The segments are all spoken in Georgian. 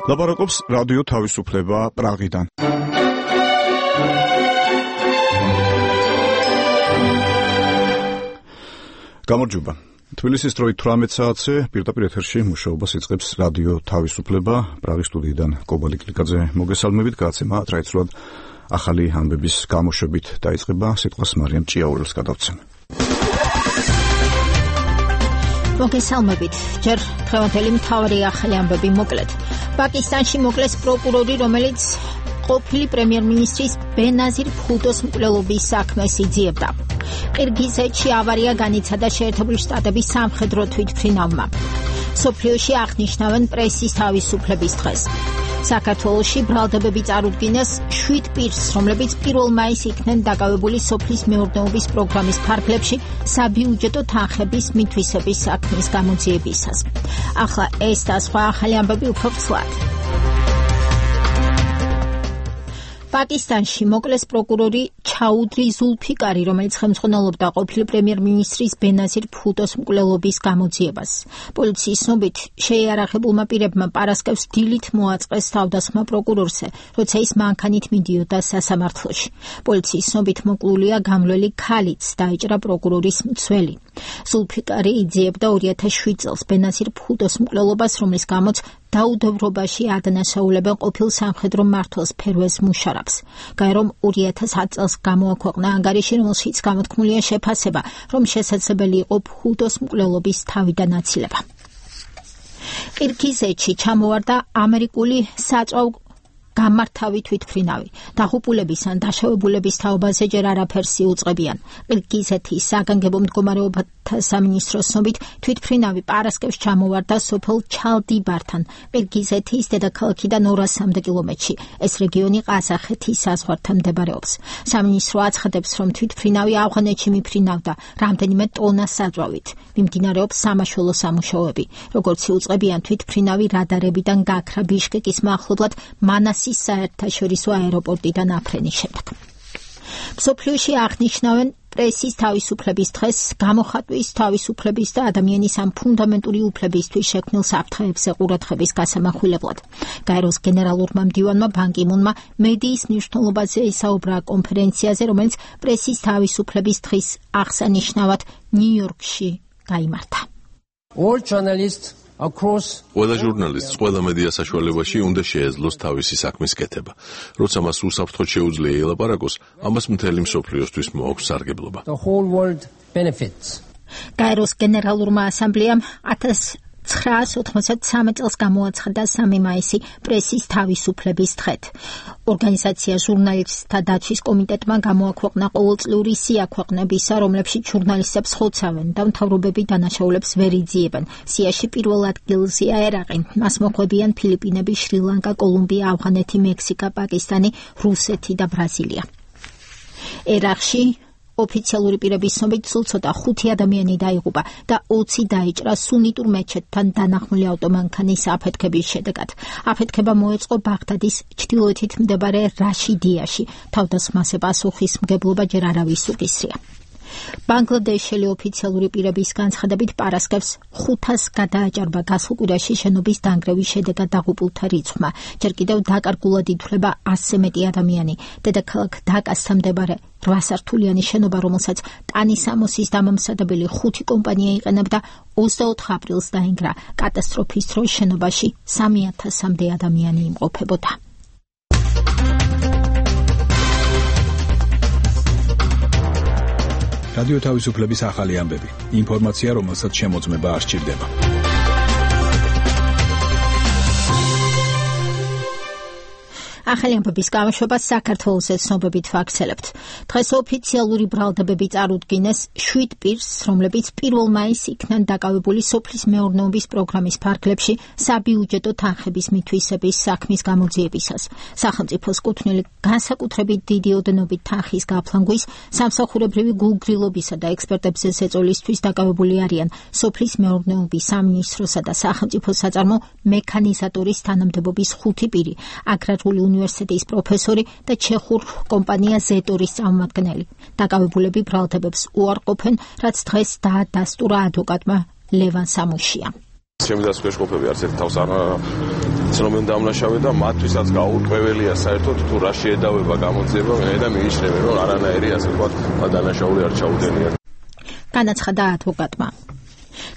ლაპარაკობს რადიო თავისუფლება პრაღიდან. გამარჯობა. თბილისის დროით 18 საათზე პირდაპირ ეთერში მუშაობას იწყებს რადიო თავისუფლება პრაღის სტუდიიდან კობალი კლიკაძე მოგესალმებით. გადაცემა ტრადიციულად ახალი ამბების გამოშვებით დაიწყება. სიტყვას მარიამ ჭიაურელს გადავცემ. მოგესალმებით. ჯერ დღევანდელი მთავარი ახალი ამბები მოკლედ. პაკისტანში მოკლეს პროკურორი, რომელიც ყოფილი პრემიერ-მინისტრის ბენაზირ ბჰუტოს მკვლელობის საქმეს იძიებდა. ყირგიზეთში ავარია განიცადა შეერთებული შტატების სამხედრო თვითმფრინავმა. სოფლიოში აღნიშნავენ პრესის თავისუფლების დღეს. საქართველოში ბრალდებები წარუდგინეს 7 პირს, რომლებიც 1 მაისს იქნენ დაკავებული სოფლის მეურნეობის პროგრამის ფარგლებში საბიუჯეტო თანხების მითვისების საქმის გამოძიებისას. ახლა ეს და სხვა ახალი ამბები უფრო ცვლად. პაკისტანში მოკლეს პროკურორი ჩაუდრი ზულფიკარი, რომელიც ხელმძღვანელობდა ყოფილი პრემიერ-მინისტრის ბენაზირ ბჰუტოს მკვლელობის გამოძიებას. პოლიციის ცნობით, შეიარაღებულმა პირებმა პარასკევს დილით მოაწყეს თავდასხმა პროკურორზე, როცა ის მანქანით მიდიოდა სასამართლოში. პოლიციის ცნობით მოკლულია გამლველი ქალიც, დაიჭრა პროკურორის მცველი. ზულფიკარი იძიებდა 2007 წელს ბენაზირ ბჰუტოს მკვლელობას, რომლის გამოც დაუდევრობაში ადანაშაულებენ ყოფილ სამხედრო მმართველს ფერვეზ მუშარაფს. გაერომ 2010 წელს გამოაქვეყნა ანგარიში, რომელშიც გამოთქმულია შეფასება, რომ შესაძლებელი იყო ბჰუტოს მკვლელობის თავიდან აცილება. ყირგიზეთში ჩამოვარდა ამერიკული საწვავ გამართავი თვითმფრინავი. დაღუპულების ან დაშავებულების თაობაზე ჯერ არაფერს იუწყებიან. ყირგიზეთის საგანგებო მდგომარეობათა სამინისტროს ცნობით, თვითმფრინავი პარასკევს ჩამოვარდა სოფელ ჩალდიბართან, ყირგიზეთის დედაქალაქიდან 200 კილომეტრში. ეს რეგიონი ყაზახეთის საზღვართან მდებარეობს. სამინისტრო აცხადებს, რომ თვითმფრინავი ავღანეთში მიფრინავდა რამდენიმე ტონას საძვავით. მიმდინარეობს სამაშველო სამუშაოები. როგორც იუწყებიან, თვითმფრინავი რადარებიდან გაქრა ბიშკეკის მახლობლად მანასის საერთაშორისო აეროპორტიდან აფრენის შემდეგ. მსოფლიოში აღნიშნავენ პრესის თავისუფლების დღეს, გამოხატვის თავისუფლების და ადამიანის ამ ფუნდამენტური უფლებისთვის შექმნილ საფრთხეებზე ყურადღების გასამახვილებლად. გაეროს გენერალურმა მდივანმა ბან კი მუნმა მედიის მნიშვნელობაზე ისაუბრა კონფერენციაზე, რომელიც პრესის თავისუფლების დღის აღსანიშნავად ნიუ-იორკში გაიმართა. All journalists ყველა ჟურნალისტს ყველა მედია საშუალებაში უნდა შეეძლოს თავისი საქმის კეთება. როცა მას უსაფრთხოდ შეუძლია ელაპარაკოს, ამას მთელი მსოფლიოსთვის მოაქვს სარგებლობა. გაეროს გენერალურმა ასამბლეამ 1993 წელს გამოაცხადა 3 მაისი პრესის თავისუფლების დღედ. ორგანიზაცია ჟურნალისტთა დაცვის კომიტეტმა გამოაქვეყნა ყოველწლიური სია ქვეყნებისა, რომლებშიც ჟურნალისტებს ხოცავენ და მთავრობები დანაშაულებს ვერ იძიებენ. სიაში პირველ ადგილზეა ერაყი, მას მოხვდებიან ფილიპინები, შრი-ლანკა, კოლუმბია, ავღანეთი, მექსიკა, პაკისტანი, რუსეთი და ბრაზილია. ერაყში ოფიციალური პირების ცნობით სულ ცოტა 5 ადამიანი დაიღუპა და 20 დაიჭრა სუნიტურ მეჩეთთან დანახმული ავტომანქანის აფეთქების შედეგად. აფეთქება მოეწყო ბაღდადის ჩრდილოეთით მდებარე რაშიდიაში. თავდასხმაზე პასუხისმგებლობა ჯერ არავის უკისრია. ბანგლადეშელი ოფიციალური პირების განცხადებით პარასკევს 500 გადააჭარბა გასულ კვირაში შენობის დანგრევის შედეგად დაღუპულთა რიცხვმა. ჯერ კიდევ დაკარგულად ითვლება 100-ზე მეტი ადამიანი. დედაქალაქ დაკასთან მეორე 8 სართულიანი შენობა, რომელსაც ტანისამოსის დამამზადებელი 5 კომპანია იყენებდა, 24 აპრილს დაინგრა. კატასტროფის დროს შენობაში 3000-მდე ადამიანი იმყოფებოდა. რადიო თავისუფლების ახალი ამბები. ინფორმაცია, რომელსაც შემოწმება არ სჭირდება. ახალი ამბების გამოშვება საქართველოს ცნობებით ვაქცელებთ. დღეს ოფიციალური ბრალდებები წარუდგინეს 7 პირს, რომლებიც 1 მაისს იქნენ დაკავებული სოფლის მეურნეობის პროგრამის ფარგლებში საბიუჯეტო თანხების მითვისების საქმის გამოძიებისას. სახელმწიფოს კუთვნილი განსაკუთრებით დიდი ოდენობით თანხის გაფლანგვის, სამსახურებრივი გულგრილობისა და ექსპერტებზე ზეწოლისთვის დაკავებული არიან სოფლის მეურნეობის სამინისტროსა და სახელმწიფო საწარმო მექანიზატორის თანამდებობის 5 პირი, აგრარული უნივერსიტეტის პროფესორი და ჩეხურ კომპანია ზეტორის წარმომადგენელი. დაკავებულები ბრალდებებს უარყოფენ, რაც დღეს დაადასტურა ადვოკატმა ლევან სამუშიამ. ჩემი დასკვნის ყოფები არც ერთ თავს არ ცნობენ დამნაშავე და მათთვისაც გაურკვეველია საერთოდ თუ რა შეედავება გამოძიება და მიიჩნევენ რომ არანაირი ასე ვთქვათ დანაშაული არ ჩაუდენია. განაცხადა ადვოკატმა.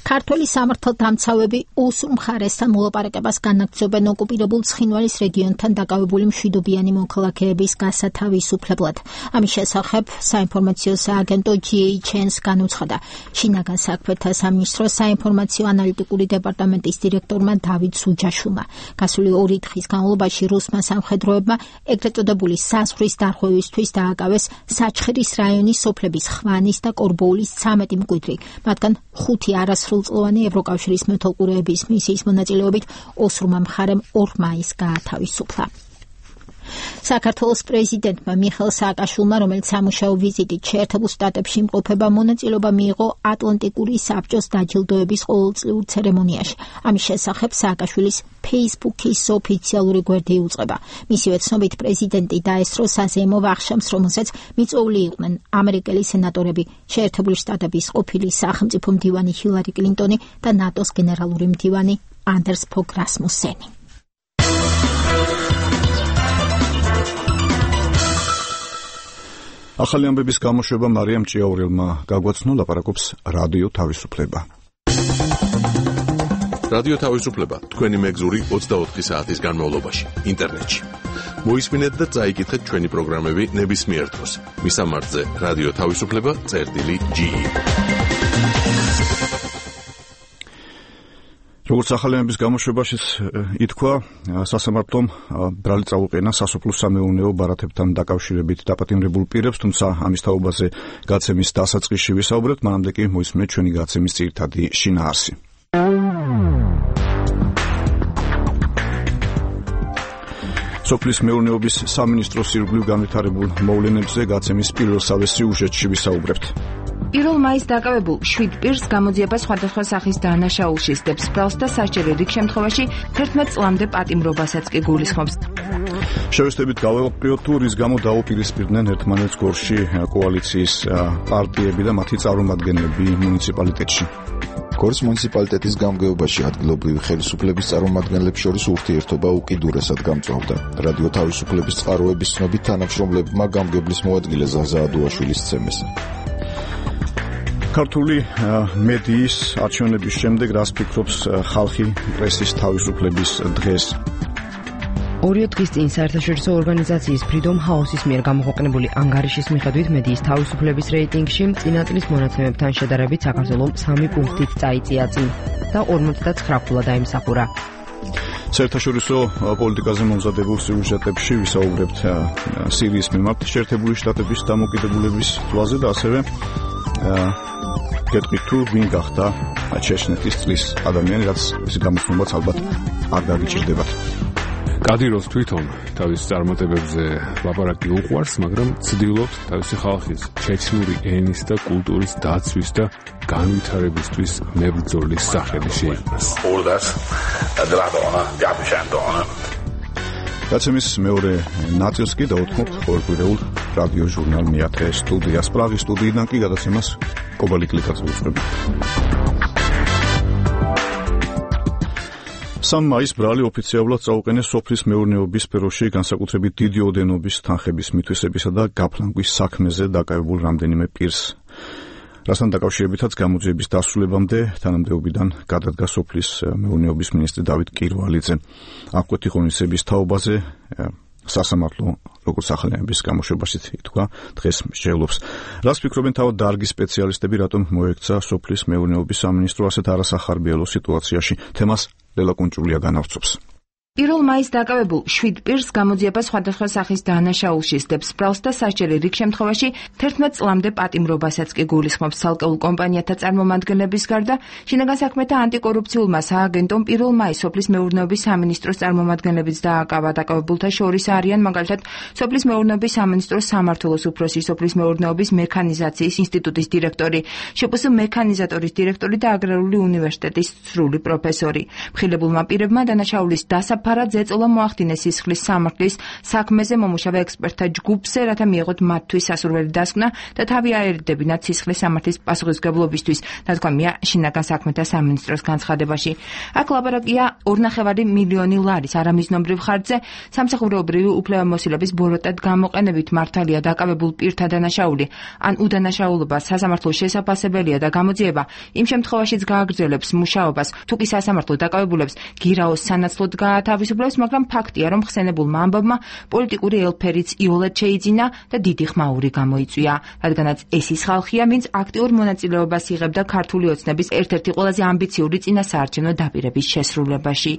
ქართველი სამართალდამცავები ოსურ მხარესთან მოლაპარაკებას განაგრძობენ ოკუპირებულ ცხინვალის რეგიონთან დაკავებული მშვიდობიანი მოქალაქეების გასათავისუფლებლად. ამის შესახებ საინფორმაციო სააგენტო GHN-ს განუცხადა შინაგან საქმეთა სამინისტროს საინფორმაციო ანალიტიკური დეპარტამენტის დირექტორმა დავით სუჯაშვილმა. გასული 2 დღის განმავლობაში რუსმა სამხედროებმა ეგრეთ წოდებული საზღვრის დარღვევისთვის დააკავეს საჩხერის რაიონის სოფლების ხვანის და კორბოულის 13 მკვიდრი, მათგან 5 არასრულწლოვანი ევროკავშირის მეთვალყურეების მისიის მონაწილეობით ოსურმა მხარემ 2 მაისს გაათავისუფლა. საქართველოს პრეზიდენტმა მიხეილ სააკაშვილმა, რომელიც სამუშაო ვიზიტით შეერთებულ შტატებში იმყოფება, მონაწილეობა მიიღო ატლანტიკური საბჭოს დაჯილდოების ყოველწლიურ ცერემონიაში. ამის შესახებ სააკაშვილის Facebook-ის ოფიციალური გვერდი იუწყება. მისივე ცნობით პრეზიდენტი დაესწრო საზეიმო ვახშამს, რომელსაც მიწვეული იყვნენ ამერიკელი სენატორები, შეერთებული შტატების ყოფილი სახელმწიფო მდივანი ჰილარი კლინტონი და ნატოს გენერალური მდივანი ანდერს ფოგ რასმუსენი. ახალი ამბების გამოშვება მარიამ ჭიაურელმა გაგვაცნო, ლაპარაკობს რადიო თავისუფლება. რადიო თავისუფლება თქვენი მეგზური 24 საათის განმავლობაში ინტერნეტში. მოისმინეთ და წაიკითხეთ ჩვენი პროგრამები ნებისმიერ დროს. მისამართზე რადიო თავისუფლება.ge. როგორც ახალი ამბების გამოშვებაშიც ითქვა, სასამართლომ ბრალი წაუყენა სასოფლო-სამეურნეო ბარათებთან დაკავშირებით დაპატიმრებულ პირებს, თუმცა ამის თაობაზე გაცემის დასაწყისში ვისაუბრებთ, მანამდე კი მოისმინეთ ჩვენი გაცემის ძირითადი შინაარსი. სოფლის მეურნეობის სამინისტროს ირგვლივ განვითარებულ მოვლენებზე გაცემის პირველსავე სიუჟეტში ვისაუბრებთ. 1 მაისს დაკავებულ 7 პირს გამოძიება სხვადასხვა სახის დანაშაულში სდებს ბრალს და სასჯელი რიგ შემთხვევაში 11 წლამდე პატიმრობასაც კი გულისხმობს. შევეცდებით გავავყრიოთ თუ რის გამო დაუპირისპირდნენ ერთმანეთს გორში კოალიციის პარტიები და მათი წარმომადგენლები მუნიციპალიტეტში. გორის მუნიციპალიტეტის გამგეობაში ადგილობრივი ხელისუფლების წარმომადგენლებს შორის ურთიერთობა უკიდურესად გამწვავდა. რადიო თავისუფლების წყაროების ცნობით თანამშრომლებმა გამგებლის მოადგილე ზაზა ადუაშვილის ცემეს. ქართული მედიის არჩევნების შემდეგ რას ფიქრობს ხალხი პრესის თავისუფლების დღეს? 2 დღის წინ საერთაშორისო ორგანიზაციის Freedom House-ის მიერ გამოქვეყნებული ანგარიშის მიხედვით მედიის თავისუფლების რეიტინგში წინა წლის მონაცემებთან შედარებით საქართველოს 3 პუნქტით წაიწია წინ და 59 დაიმსახურა. საერთაშორისო პოლიტიკაზე მომზადებულ სიუჟეტებში ვისაუბრებთ სირიის მიმართ შეერთებული შტატების დამოკიდებულების თვალზე და ასევე გეტყვით თუ ვინ გახდა ჩეჩნეთის წლის ადამიანი, რაც ეს გამოსნობაც ალბათ არ გაგიჭირდებათ. კადიროვს თვითონ თავის წარმატებებზე ლაპარაკი უყვარს, მაგრამ ცდილობს თავისი ხალხის ჩეჩნური ენის და კულტურის დაცვის და განვითარებისთვის მებრძოლის სახელი შეიქმნას. გაცემის მეორე ნაწილს კი დავუთმობთ ყოველკვირეულ რადიო ჟურნალ მეათე სტუდიას. პრაღის სტუდიიდან კი გადაცემას კობალი კლიკაძე უწყდება. 3 მაისს ბრალი ოფიციალურად წაუყენეს სოფლის მეურნეობის სფეროში განსაკუთრებით დიდი ოდენობის თანხების მითვისებისა და გაფლანგვის საქმეზე დაკავებულ რამდენიმე პირს. რასთან დაკავშირებითაც გამოძიების დასრულებამდე თანამდებობიდან გადადგა სოფლის მეურნეობის მინისტრი დავით კირვალიძე. აღკვეთი ღონისძიების თაობაზე სასამართლო როგორც ახალი ამბების გამოშვებაშიც ითქვა, დღეს შეძლობს. რას ფიქრობენ თავად დარგის სპეციალისტები, რატომ მოექცა სოფლის მეურნეობის სამინისტრო ასეთ არასახარბიელო სიტუაციაში? თემას ლელა კუნჭულია განავრცობს. 1 მაისს დაკავებულ 7 პირს გამოძიება სხვადასხვა სახის დანაშაულში სდებს ბრალს და სასჯელი რიგ შემთხვევაში 11 წლამდე პატიმრობასაც კი გულისხმობს. ცალკეულ კომპანიათა წარმომადგენლების გარდა შინაგან საქმეთა ანტიკორუფციულმა სააგენტომ 1 მაისს სოფლის მეურნეობის სამინისტროს წარმომადგენლებიც დააკავა. დაკავებულთა შორის არიან მაგალითად სოფლის მეურნეობის სამინისტროს სამმართველოს უფროსი, სოფლის მეურნეობის მექანიზაციის ინსტიტუტის დირექტორი, შპს მექანიზატორის დირექტორი და აგრარული უნივერსიტეტის სრული პროფესორი. მხილებულმა პირებმა დანაშაულის საფარად ზეწოლა მოახდინეს სისხლის სამართლის საქმეზე მომუშავე ექსპერტთა ჯგუფზე, რათა მიეღოთ მათთვის სასურველი დასკვნა და თავი აერიდებინათ სისხლის სამართლის პასუხისმგებლობისთვის, დათქვამია შინაგან საქმეთა სამინისტროს განცხადებაში. აქ ლაპარაკია 2.5 მილიონი ლარის არამიზნობრივ ხარჯზე, სამსახურეობრივი უფლებამოსილების ბოროტად გამოყენებით მართალია დაკავებულ პირთა დანაშაული ან უდანაშაულობა სასამართლოს შესაფასებელია და გამოძიება იმ შემთხვევაშიც გააგრძელებს მუშაობას, თუ კი სასამართლო დაკავებულებს გირაოს სანაცვლოდ გაათავისუფლებს, მაგრამ ფაქტია, რომ ხსენებულმა ამბავმა პოლიტიკური ელფერიც იოლად შეიძინა და დიდი ხმაური გამოიწვია, რადგანაც ეს ის ხალხია, ვინც აქტიურ მონაწილეობას იღებდა ქართული ოცნების ერთ-ერთი ყველაზე ამბიციური წინასაარჩევნო დაპირების შესრულებაში.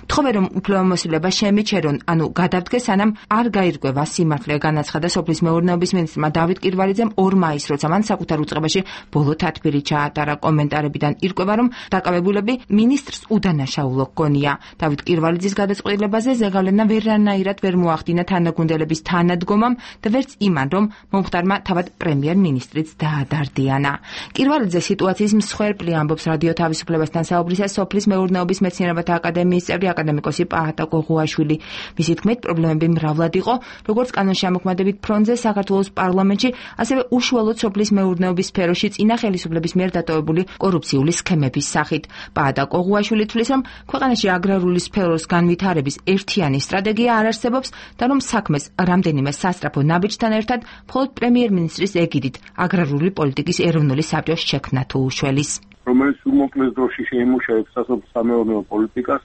თხოვე, რომ უფლებამოსილება შემიჩერონ, ანუ გადავდგეს, სანამ არ გაირკვევა სიმართლე, განაცხადა სოფლის მეურნეობის მინისტრმა დავით კირვალიძემ 2 მაისს, როცა მან საკუთარ უწყებაში ბოლო თათბირი ჩაატარა. კომენტარებიდან ირკვევა, რომ დაკავებულები მინისტრს უდანაშაულო გონია. დავით კირვალიძის გადაწყვეტილებაზე ზეგავლენა ვერანაირად ვერ მოახდინა თანაგუნდელების თანადგომამ და ვერც იმან, რომ მომხდარმა თავად პრემიერ-მინისტრიც დაადარდიანა. კირვალიძე სიტუაციის მსხვერპლი ამბობს რადიო თავისუფლებასთან საუბრისას სოფლის მეურნეობის მეცნიერებათა აკადემიის წევრი აკადემიკოსი პაატა ყოღუაშვილი. მისი თქმით, პრობლემები მრავლად იყო, როგორც კანონშემოქმედებით ფრონტზე საქართველოს პარლამენტში, ასევე უშუალოდ სოფლის მეურნეობის სფეროში წინა ხელისუფლების მიერ დატოვებული კორუფციული სქემების სახით. პაატა ყოღუაშვილი თვლის, რომ ქვეყანაში აგრარული სფეროს განვითარების ერთიანი სტრატეგია არ არსებობს და რომ საქმეს რამდენიმე სასწრაფო ნაბიჯთან ერთად მხოლოდ პრემიერ-მინისტრის ეგიდით აგრარული პოლიტიკის ეროვნული საბჭოს შექმნა თუ უშველის. რომელიც უმოკლეს დროში შეიმუშავებს სასოფლო-სამეურნეო პოლიტიკას,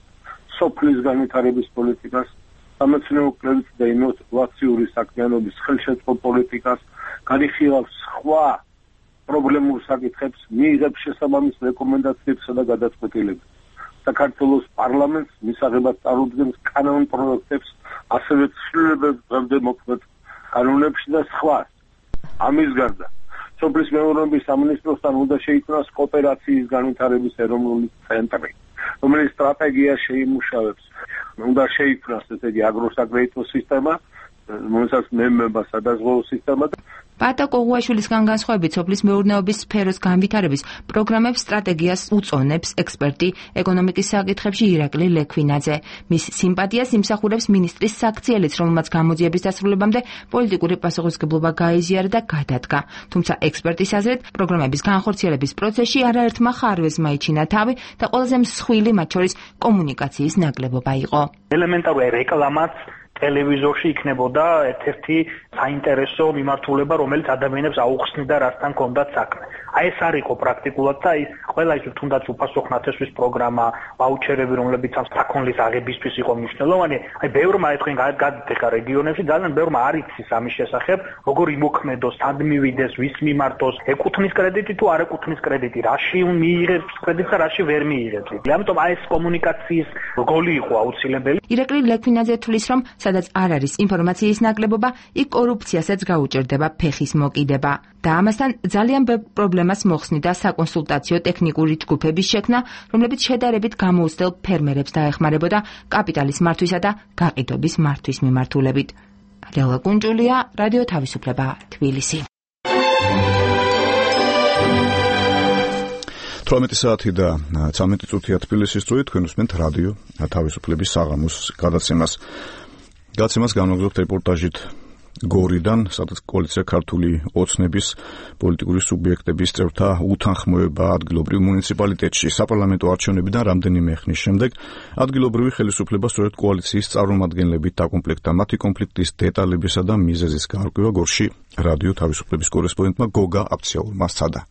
სოფლის განვითარების პოლიტიკას, სამეცნიერო კვლევით და ინოვაციური საქმიანობის ხელშეწყო პოლიტიკას, განიხილავს სხვა პრობლემურ საკითხებს, მიიღებს შესაბამის რეკომენდაციებსა და გადაწყვეტილებებს. საქართველოს პარლამენტს მისაღებად წარუდგენს კანონ პროექტებს, ასევე ცვლილებებს დღემდე მოქმედ კანონებში და სხვა. ამის გარდა სოფლის მეურნეობის სამინისტროსთან უნდა შეიქმნას კოოპერაციის განვითარების ეროვნული ცენტრი, რომელიც სტრატეგია შეიმუშავებს. უნდა შეიქმნას ესე იგი აგროსაკრედიტო სისტემა, რომელსაც მემება სადაზღვევო სისტემა. პაატა ყოღუაშვილისგან განსხვავებით, სოფლის მეურნეობის სფეროს განვითარების პროგრამებს სტრატეგიას უწონებს ექსპერტი ეკონომიკის საკითხებში ირაკლი ლექვინაძე. მის სიმპათიას იმსახურებს მინისტრის საქციელიც, რომელმაც გამოძიების დასრულებამდე პოლიტიკური პასუხისმგებლობა გაიზიარა და გადადგა. თუმცა ექსპერტის აზრით, პროგრამების განხორციელების პროცესში არაერთმა ხარვეზმა იჩინა თავი და ყველაზე მსხვილი მათ შორის კომუნიკაციის ნაკლებობა იყო. ელემენტარული რეკლამაც ტელევიზორში იქნებოდა ერთ-ერთი საინტერესო მიმართულება, რომელიც ადამიანებს აუხსნიდა, რასთან ჰქონდათ საქმე. აი ეს არ იყო პრაქტიკულად და აი ყველა ის თუნდაც უფასო ხნათესვის პროგრამა, ვაუჩერები, რომლებიც ამ საქონლის აღებისთვის იყო მნიშვნელოვანი, აი ბევრმა თქვენ გადადეთ ხა რეგიონებში, ძალიან ბევრმა არ იცის ამის შესახებ, როგორ იმოქმედოს, სად მივიდეს, ვის მიმართოს, ეკუთვნის კრედიტი თუ არ ეკუთვნის კრედიტი, რაში მიიღებს კრედიტს და რაში ვერ მიიღებს. ამიტომ აი ეს კომუნიკაციის როლი იყო აუცილებელი. ირაკლი ლექვინაძე თვლის, რომ სადაც არ არის ინფორმაციის ნაკლებობა, იქ კორუფციასაც გაუჭერდება ფეხის მოკიდება. და ამასთან ძალიან ბევრ პრობლემას მოხსნიდა საკონსულტაციო ტექნიკური ჯგუფების შექმნა, რომლებიც შედარებით გამოუცდელ ფერმერებს დაეხმარებოდა კაპიტალის მართვისა და გაყიდვების მართვის მიმართულებით. ლელა კუნჭულია, რადიო თავისუფლება, თბილისი. 18 საათი და 13 წუთია თბილისის დროით, თქვენ უსმენთ რადიო თავისუფლების საღამოს გადაცემას. გადაცემას განვაგრძობთ რეპორტაჟით გორიდან, სადაც კოალიცია ქართული ოცნების პოლიტიკური სუბიექტების წევრთა უთანხმოება ადგილობრივ მუნიციპალიტეტში საპარლამენტო არჩევნებიდან რამდენიმე ხნის შემდეგ ადგილობრივი ხელისუფლება სწორედ კოალიციის წარმომადგენლებით დაკომპლექტდა. მათი კონფლიქტის დეტალებისა და მიზეზის გაარკვევა გორში რადიო თავისუფლების კორესპონდენტმა გოგა აფციაურმა სცადა.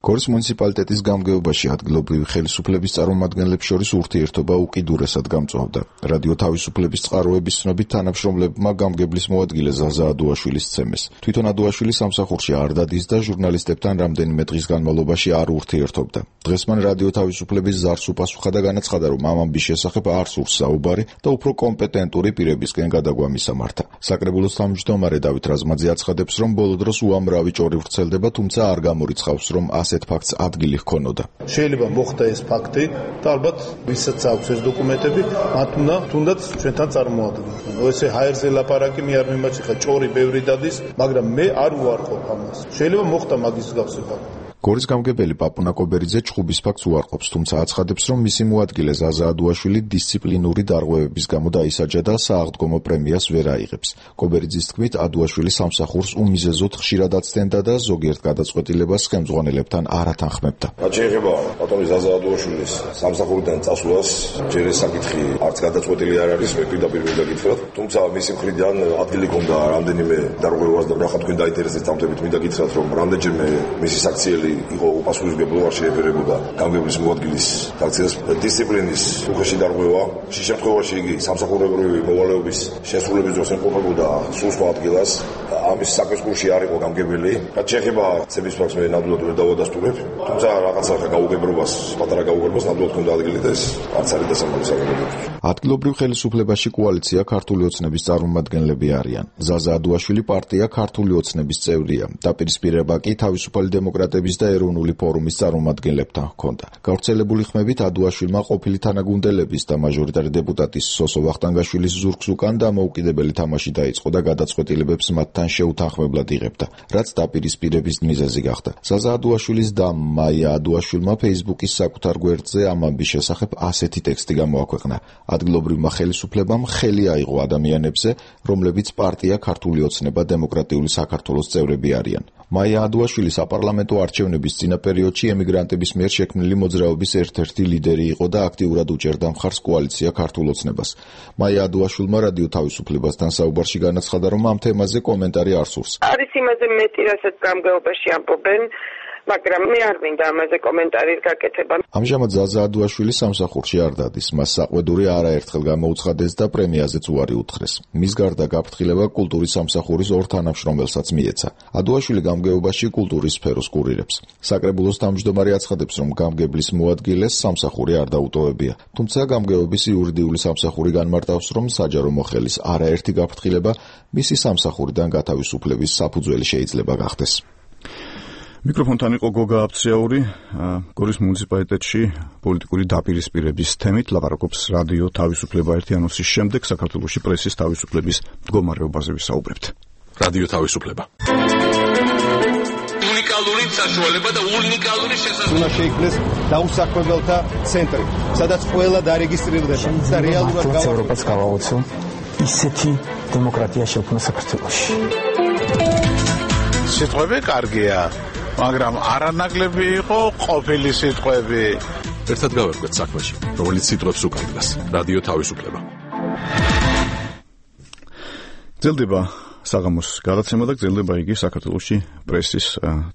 გორის მუნიციპალიტეტის გამგეობაში ადგილობრივი ხელისუფლების წარმომადგენლებს შორის ურთიერთობა უკიდურესად გამწვავდა. რადიო თავისუფლების წყაროების ცნობით თანამშრომლებმა გამგებლის მოადგილე ზაზა ადუაშვილის სცემეს. თვითონ ადუაშვილი სამსახურში არ დადის და ჟურნალისტებთან რამდენიმე დღის განმავლობაში არ ურთიერთობდა. დღეს მან რადიო თავისუფლების ზარს უპასუხა და განაცხადა, რომ ამ ამბის შესახებ არ სურს საუბარი და უფრო კომპეტენტური პირებისკენ გადაგვა მისამართა. საკრებულოს თავმჯდომარე დავით რაზმაძე აცხადებს, რომ ბოლო დროს უამრავი ჭორი ვრცელდება, თუმცა არ გამორიცხავს, რომ ასეთ ფაქტს ადგილი ჰქონოდა. შეიძლება მოხდა ეს ფაქტი და ალბათ ვისაც აქვს ეს დოკუმენტები, მათ უნდა თუნდაც ჩვენთან წარმოადგინონ. ესე ჰაერზე ლაპარაკი მე არ მიმაჩნია, ჭორი ბევრი დადის, მაგრამ მე არ უარყოფ ამას. შეიძლება მოხდა მაგის გასაგებად. გორის გამგებელი პაპუნა კობერიძე ჩხუბის ფაქტს უარყოფს, თუმცა აცხადებს, რომ მისი მოადგილე ზაზა ადუაშვილი დისციპლინური დარღვევების გამო დაისაჯა და სააღდგომო პრემიას ვერ აიღებს. კობერიძის თქმით, ადუაშვილი სამსახურს უმიზეზოდ ხშირად აცდენდა და ზოგიერთ გადაწყვეტილებას ხელმძღვანელებთან არ ათანხმებდა. რაც შეეხება ბატონი ზაზა ადუაშვილის სამსახურიდან წასვლას, ჯერ ეს საკითხი არც გადაწყვეტილი არ არის, მე პირდაპირ მიგაკითხრათ, თუმცა მისი მხრიდან ადგილი ჰქონდა რამდენიმე დარღვევას და რა თქვენ დაინტერესებს დამტებით მიგაკითხრათ, რომ რამდენჯერმე მისი საქციელი იყო უპასუხისმგებლო არ შეეფერებოდა გამგებლის მოადგილის საქციელს დისციპლინის უხეში დარღვევა. შე შემთხვევაში იგი სამსახურებრივი მოვალეობის შესრულების დროს ემყოფებოდა სულ სხვა ადგილას. ამის საქმის კურსში არ იყო გამგებელი. რაც შეეხება ცების ფაქტს მე ნამდვილად ვერ დავადასტურებ, თუმცა რაღაცა გაუგებრობას, პატარა გაუგებრობას ნამდვილად ჰქონდა ადგილი და ეს არც არის დასამალი საკითხი. ადგილობრივ ხელისუფლებაში კოალიცია ქართული ოცნების წარმომადგენლები არიან. ზაზა ადუაშვილი პარტია ქართული ოცნების წევრია. დაპირისპირება კი თავისუფალი დემოკრატების და ეროვნული ფორუმის წარმომადგენლებთან ჰქონდა. გავრცელებული ხმებით ადუაშვილმა ყოფილი თანაგუნდელების და მაჟორიტარი დეპუტატის სოსო ვახტანგაშვილის ზურგს უკან დამოუკიდებელი თამაში დაიწყო და გადაწყვეტილებებს მათთან შეუთანხმებლად იღებდა, რაც დაპირისპირების მიზეზი გახდა. ზაზა ადუაშვილის და მაია ადუაშვილმა Facebook-ის საკუთარ გვერდზე ამ ამბის შესახებ ასეთი ტექსტი გამოაქვეყნა. ადგილობრივმა ხელისუფლებამ ხელი აიღო ადამიანებზე, რომლებიც პარტია ქართული ოცნება დემოკრატიული საქართველოს წევრები არიან. მაია ადუაშვილი საპარლამენტო არჩევნების წინა პერიოდში ემიგრანტების მიერ შექმნილი მოძრაობის ერთ-ერთი ლიდერი იყო და აქტიურად უჭერდა მხარს კოალიცია ქართულ ოცნებას. მაია ადუაშვილმა რადიო თავისუფლებასთან საუბარში განაცხადა, რომ ამ თემაზე კომენტარი არ სურს. არის იმაზე მეტი, რასაც გამგეობაში ამბობენ, მაგრამ მე არ მინდა ამაზე კომენტარის გაკეთება. ამჟამად ზაზა ადუაშვილი სამსახურში არ დადის. მას საყვედური არაერთხელ გამოუცხადეს და პრემიაზეც უარი უთხრეს. მის გარდა გაფრთხილება კულტურის სამსახურის ორ თანამშრომელსაც მიეცა. ადუაშვილი გამგეობაში კულტურის სფეროს კურირებს. საკრებულოს თავმჯდომარე აცხადებს, რომ გამგებლის მოადგილეს სამსახური არ დაუტოვებია. თუმცა გამგეობის იურიდიული სამსახური განმარტავს, რომ საჯარო მოხელის არაერთი გაფრთხილება მისი სამსახურიდან გათავისუფლების საფუძველი შეიძლება გახდეს. მიკროფონთან იყო გოგა აფციაური, გორის მუნიციპალიტეტში პოლიტიკური დაპირისპირების თემით ლაპარაკობს რადიო თავისუფლება ერთი ანონსის შემდეგ საქართველოში პრესის თავისუფლების მდგომარეობაზე ვისაუბრებთ. რადიო თავისუფლება. უნიკალური საშუალება და უნიკალური შესაძლებლობა. უნდა შეიქმნეს დაუსაქმებელთა ცენტრი, სადაც ყველა დარეგისტრირდება და რეალურად ევროპას გავაოცო ისეთი დემოკრატია შექმნა საქართველოში. სიტყვები კარგია, მაგრამ არანაკლები იყო ყოფილი სიტყვები. ერთად გავერკვეთ საქმეში, რომელიც სიტყვებს უკანდგას. რადიო თავისუფლება. გრძელდება საღამოს გადაცემა და გრძელდება იგი საქართველოში პრესის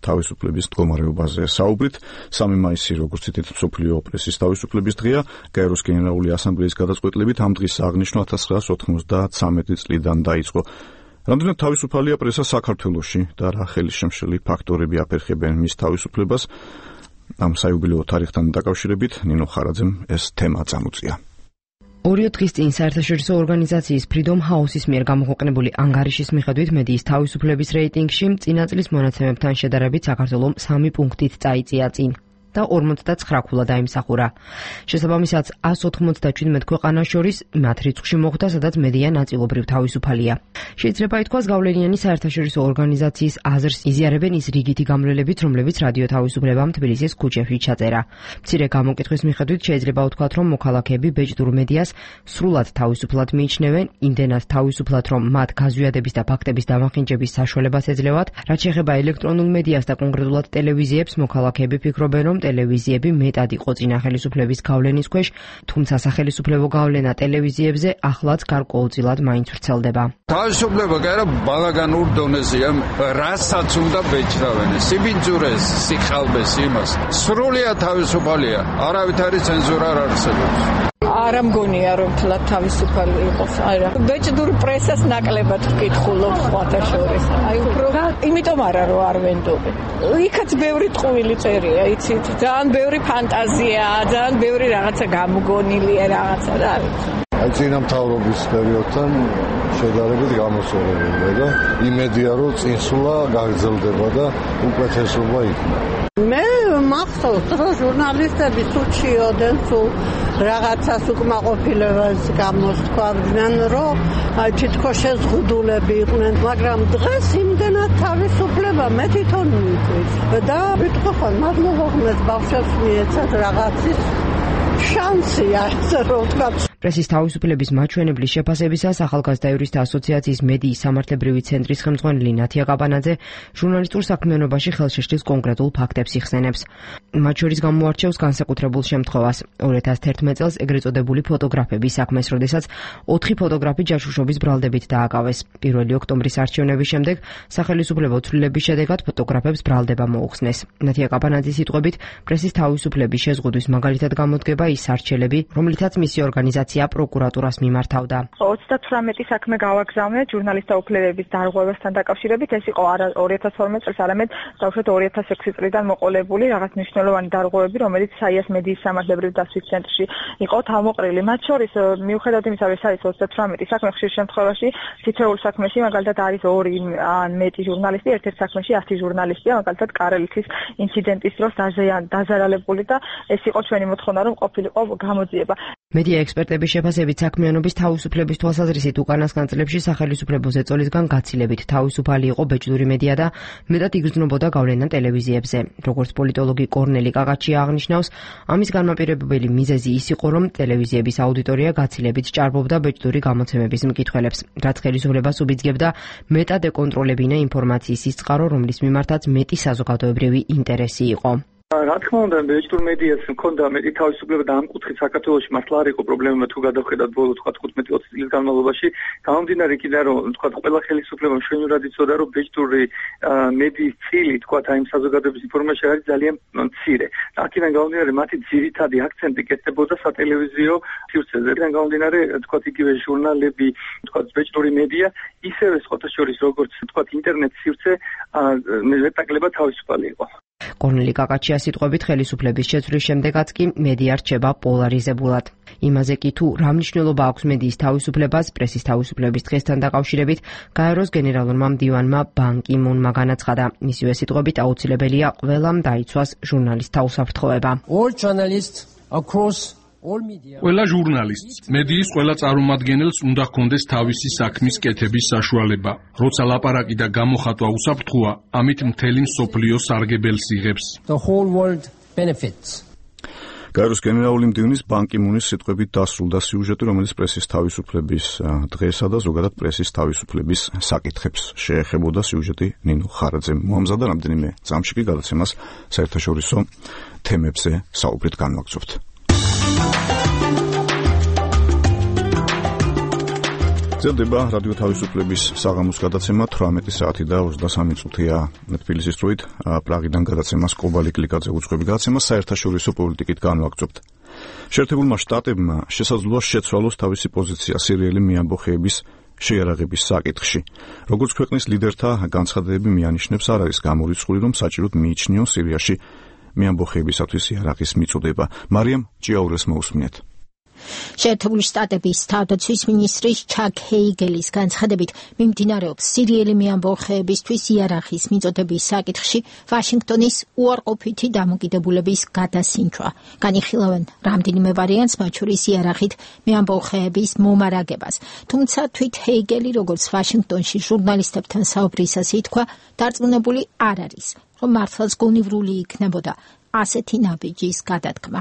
თავისუფლების მდგომარეობაზე საუბრით. 3 მაისი, როგორც ცითით, მსოფლიო პრესის თავისუფლების დღეა. გაეროს გენერალური ასამბლეის გადაწყვეტილებით ამ დღის აღნიშვნა 1993 წლიდან დაიწყო. რამდენად თავისუფალია პრესა საქართველოში და რა ხელისშემშელი ფაქტორები აფერხებენ მის თავისუფლებას? ამ საიუბილეო თარიღთან დაკავშირებით ნინო ხარაძემ ეს თემა წამოწია. 2 დღის წინ საერთაშორისო ორგანიზაციის Freedom House-ის მიერ გამოქვეყნებული ანგარიშის მიხედვით მედიის თავისუფლების რეიტინგში წინა წლის მონაცემებთან შედარებით საქართველომ 3 პუნქტით წაიწია წინ და 59 ქულა დაიმსახურა. შესაბამისად 197 ქვეყანას შორის მათ რიცხვში მოხვდა, სადაც მედია ნაწილობრივ თავისუფალია. შეიძლება ითქვას, გავლენიანი საერთაშორისო ორგანიზაციის აზრს იზიარებენ ის რიგითი გამლელებით, რომლებიც რადიო თავისუფლებამ თბილისის ქუჩებში ჩაწერა. მცირე გამოკითხვის მიხედვით შეიძლება ვთქვათ, რომ მოქალაქეები ბეჭდურ მედიას სრულად თავისუფლად მიიჩნევენ, იმდენად თავისუფლად, რომ მათ გაზვიადების და ფაქტების დამახინჯების საშუალებას ეძლევათ. რაც შეეხება ელექტრონულ მედიას და კონკრეტულად ტელევიზიებს, მოქალაქეები ფიქრობენ, რომ ტელევიზიები მეტად იყო წინა ხელისუფლების გავლენის ქვეშ, თუმცა სახელისუფლებო გავლენა ტელევიზიებზე ახლაც გარკვეულწილად მაინც ვრცელდება. თავისუფლება კი არა, ბალაგანურ დონეზეა, რასაც უნდა ბეჭდავენ, სიბინძურეს, სიხალბეს იმას. სრულიად თავისუფალია, არავითარი ცენზურა არ არსებობს. არა მგონია რომ თლად თავისუფალი იყოს. არა. ბეჭდურ პრესას ნაკლებად ვკითხულობ სხვათა შორის. აი უფრო იმიტომ არა რომ არ ვენდობენ. იქაც ბევრი ტყუილი წერია, იცით? ძალიან ბევრი ფანტაზია, ძალიან ბევრი რაღაცა გამგონილია რაღაცა და არ ვიცი. აი წინა მთავრობის პერიოდთან შედარებით გამოსწორებულია და იმედია რომ წინსვლა გაგრძელდება და უკეთესობა იქნება. მე მახსოვს, რომ ჟურნალისტები სუჩიოდენ, სულ რაღაცას უკმაყოფილებას გამოსთქვამდნენ, რომ თითქოს შეზღუდულები იყვნენ, მაგრამ დღეს იმდენად თავისუფლება მე თვითონ მივიკვით და ვიტყვი ხომ მადლობა ხმეს ბავშვებს მიეცათ რაღაცის შანსია, ასე რომ ვთქვა. პრესის თავისუფლების მაჩვენებლის შეფასებისას ახალგაზრდა იურისტთა ასოციაციის მედიის სამართლებრივი ცენტრის ხელმძღვანელი ნათია კაბანაძე ჟურნალისტურ საქმიანობაში ხელშეშლის კონკრეტულ ფაქტებს იხსენებს. მათ შორის გამოარჩევს განსაკუთრებულ შემთხვევას 2011 წელს ეგრეთ წოდებული ფოტოგრაფების საქმეს, როდესაც 4 ფოტოგრაფი ჯაშუშობის ბრალდებით დააკავეს. 1 ოქტომბრის არჩევნების შემდეგ სახელისუფლებო ცვლილების შედეგად ფოტოგრაფებს ბრალდება მოუხსნეს. ნათია კაბანაძის სიტყვებით, პრესის თავისუფლების შეზღუდვის მაგალითად გამოდგება ის არჩელები, რომლითაც მისი ორგანიზაცია პროკურატურას მიმართავდა. 38 საქმე გავაგზავნეთ ჟურნალისტთა უფლებების დარღვევასთან დაკავშირებით. ეს იყო არა 2012 წელს, არამედ დაუშვათ 2006 წლიდან მოყოლებული რაღაც მნიშვნელოვანი დარღვევები, რომელიც საიას მედიის სამართლებრივ დასვის ცენტრში იყო თავმოყრილი. მათ შორის მიუხედავად იმისა, რომ ეს არის 38 საქმე, ხშირ შემთხვევაში თითოეულ საქმეში მაგალითად არის 2 ან მეტი ჟურნალისტი, ერთ-ერთ საქმეში 100 ჟურნალისტია, მაგალითად კარელეთის ინციდენტის დროს დაზარალებული და ეს იყო ჩვენი მოთხოვნა, რომ ყოფილიყო გამოძიება. მედია ექსპერტების შეფასებით საქმიანობის თავისუფლების თვალსაზრისით უკანასკნელ წლებში სახელისუფლებო ზეწოლისგან გაცილებით თავისუფალი იყო ბეჭდური მედია და მეტად იგრძნობოდა გავლენა ტელევიზიებზე. როგორც პოლიტოლოგი კორნელი კაკაჩია აღნიშნავს, ამის განმაპირობებელი მიზეზი ის იყო, რომ ტელევიზიების აუდიტორია გაცილებით ჭარბობდა ბეჭდური გამოცემების მკითხველებს, რაც ხელისუფლებას უბიძგებდა მეტად ეკონტროლებინა ინფორმაციის სიწყარო, რომლის მიმართაც მეტი საზოგადოებრივი ინტერესი იყო. რა თქმა უნდა, ბეჭდურ მედიას მქონდა მეტი თავისუფლება და ამ კუთხით საქართველოში მართლა არ იყო პრობლემა თუ გადავხედათ ბოლო 15-20 წლის განმავლობაში. გამომდინარე იქიდან, რომ ყველა ხელისუფლება მშვენივრად იცოდა, რომ ბეჭდური მედიის წილი, აი იმ საზოგადოების ინფორმაცია არის ძალიან მცირე. აქედან გამომდინარე, მათი ძირითადი აქცენტი კეთდებოდა სატელევიზიო სივრცეზე. აქედან გამომდინარე, იგივე ჟურნალები, ბეჭდური მედია, ისევე სხვათა შორის როგორც ინტერნეტ სივრცე მეტაკლებად თავისუფალი იყო. კორნელი კაკაჩიას სიტყვებით, ხელისუფლების შეცვლის შემდეგაც კი მედია რჩება პოლარიზებულად. იმაზე კი თუ რა მნიშვნელობა აქვს მედიის თავისუფლებას პრესის თავისუფლების დღესთან დაკავშირებით, გაეროს გენერალურმა მდივანმა ბან კი მუნმა განაცხადა. მისივე სიტყვებით, აუცილებელია ყველამ დაიცვას ჟურნალისტთა უსაფრთხოება. ყველა ჟურნალისტს, მედიის ყველა წარმომადგენელს უნდა ჰქონდეს თავისი საქმის კეთების საშუალება. როცა ლაპარაკი და გამოხატვა უსაფრთხოა, ამით მთელი მსოფლიო სარგებელს იღებს. გაეროს გენერალური მდივნის ბან კი მუნის სიტყვებით დასრულდა სიუჟეტი, რომელიც პრესის თავისუფლების დღესა და ზოგადად პრესის თავისუფლების საკითხებს შეეხებოდა. სიუჟეტი ნინო ხარაძემ მოამზადა, რამდენიმე წამში კი გადაცემას საერთაშორისო თემებზე საუბრით განვაგრძობთ. ძლდება რადიო თავისუფლების საღამოს გადაცემა 18 საათი და 23 წუთია თბილისის დროით. პრაღიდან გადაცემას კობალი კლიკაძე უძღვები გადაცემას საერთაშორისო პოლიტიკით განვაგრძობთ. შეერთებულმა შტატებმა შესაძლოა შეცვალოს თავისი პოზიცია სირიელი მიამბოხეების შეიარაღების საკითხში. როგორც ქვეყნის ლიდერთა განცხადებები მიანიშნებს, არ არის გამორიცხული, რომ საჭიროდ მიიჩნიონ სირიაში მიამბოხეებისათვის იარაღის მიწოდება. მარიამ ჭიაურეს მოусმინეთ. შეერთებული შტატების თავდაცვის მინისტრის ჩაკ ჰეიგელის განცხადებით, მიმდინარეობს სირიელი მიამბოხეებისთვის იარაღის მიწოდების საკითხში ვაშინგტონის უარყოფითი დამოკიდებულების გადასინჯვა. განიხილავენ რამდენიმე ვარიანტს, მათ შორის იარაღით მიამბოხეების მომარაგებას. თუმცა თვით ჰეიგელი, როგორც ვაშინგტონში ჟურნალისტებთან საუბრისას ითქვა, დარწმუნებული არ არის, რომ მართლაც გონივრული იქნებოდა ასეთი ნაბიჯის გადადგმა.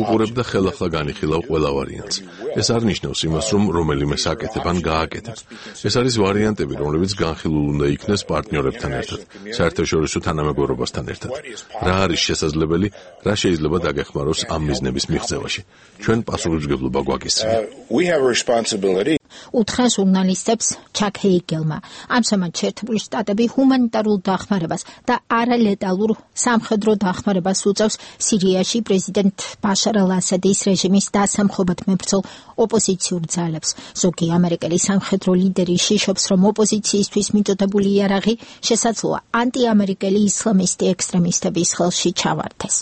უყურებ და ხელახლა განიხილავ ყველა ვარიანტს. ეს არ ნიშნავს იმას, რომ რომელიმე საკეთებ ან გააკეთებ. ეს არის ვარიანტები, რომლებიც განხილულ უნდა იქნეს პარტნიორებთან ერთად, საერთაშორისო თანამეგობრობასთან ერთად. რა არის შესაძლებელი, რა შეიძლება დაგეხმაროს ამ მიზნების მიღწევაში. ჩვენ პასუხისმგებლობა გვაქვს. უთხრა ჟურნალისტებს ჩაკ ჰეიგელმა. ამჟამად შეერთებული შტატები ჰუმანიტარულ დახმარებას და არალეტალურ სამხედრო დახმარებას უწევს სირიაში პრეზიდენტ ბაშარ ალ-ასადის რეჟიმის დასამხობად მებრძოლ ოპოზიციურ ძალებს. ზოგი ამერიკელი სამხედრო ლიდერი შიშობს, რომ ოპოზიციისთვის მიწოდებული იარაღი შესაძლოა ანტიამერიკელი ისლამისტი ექსტრემისტების ხელში ჩავარდეს.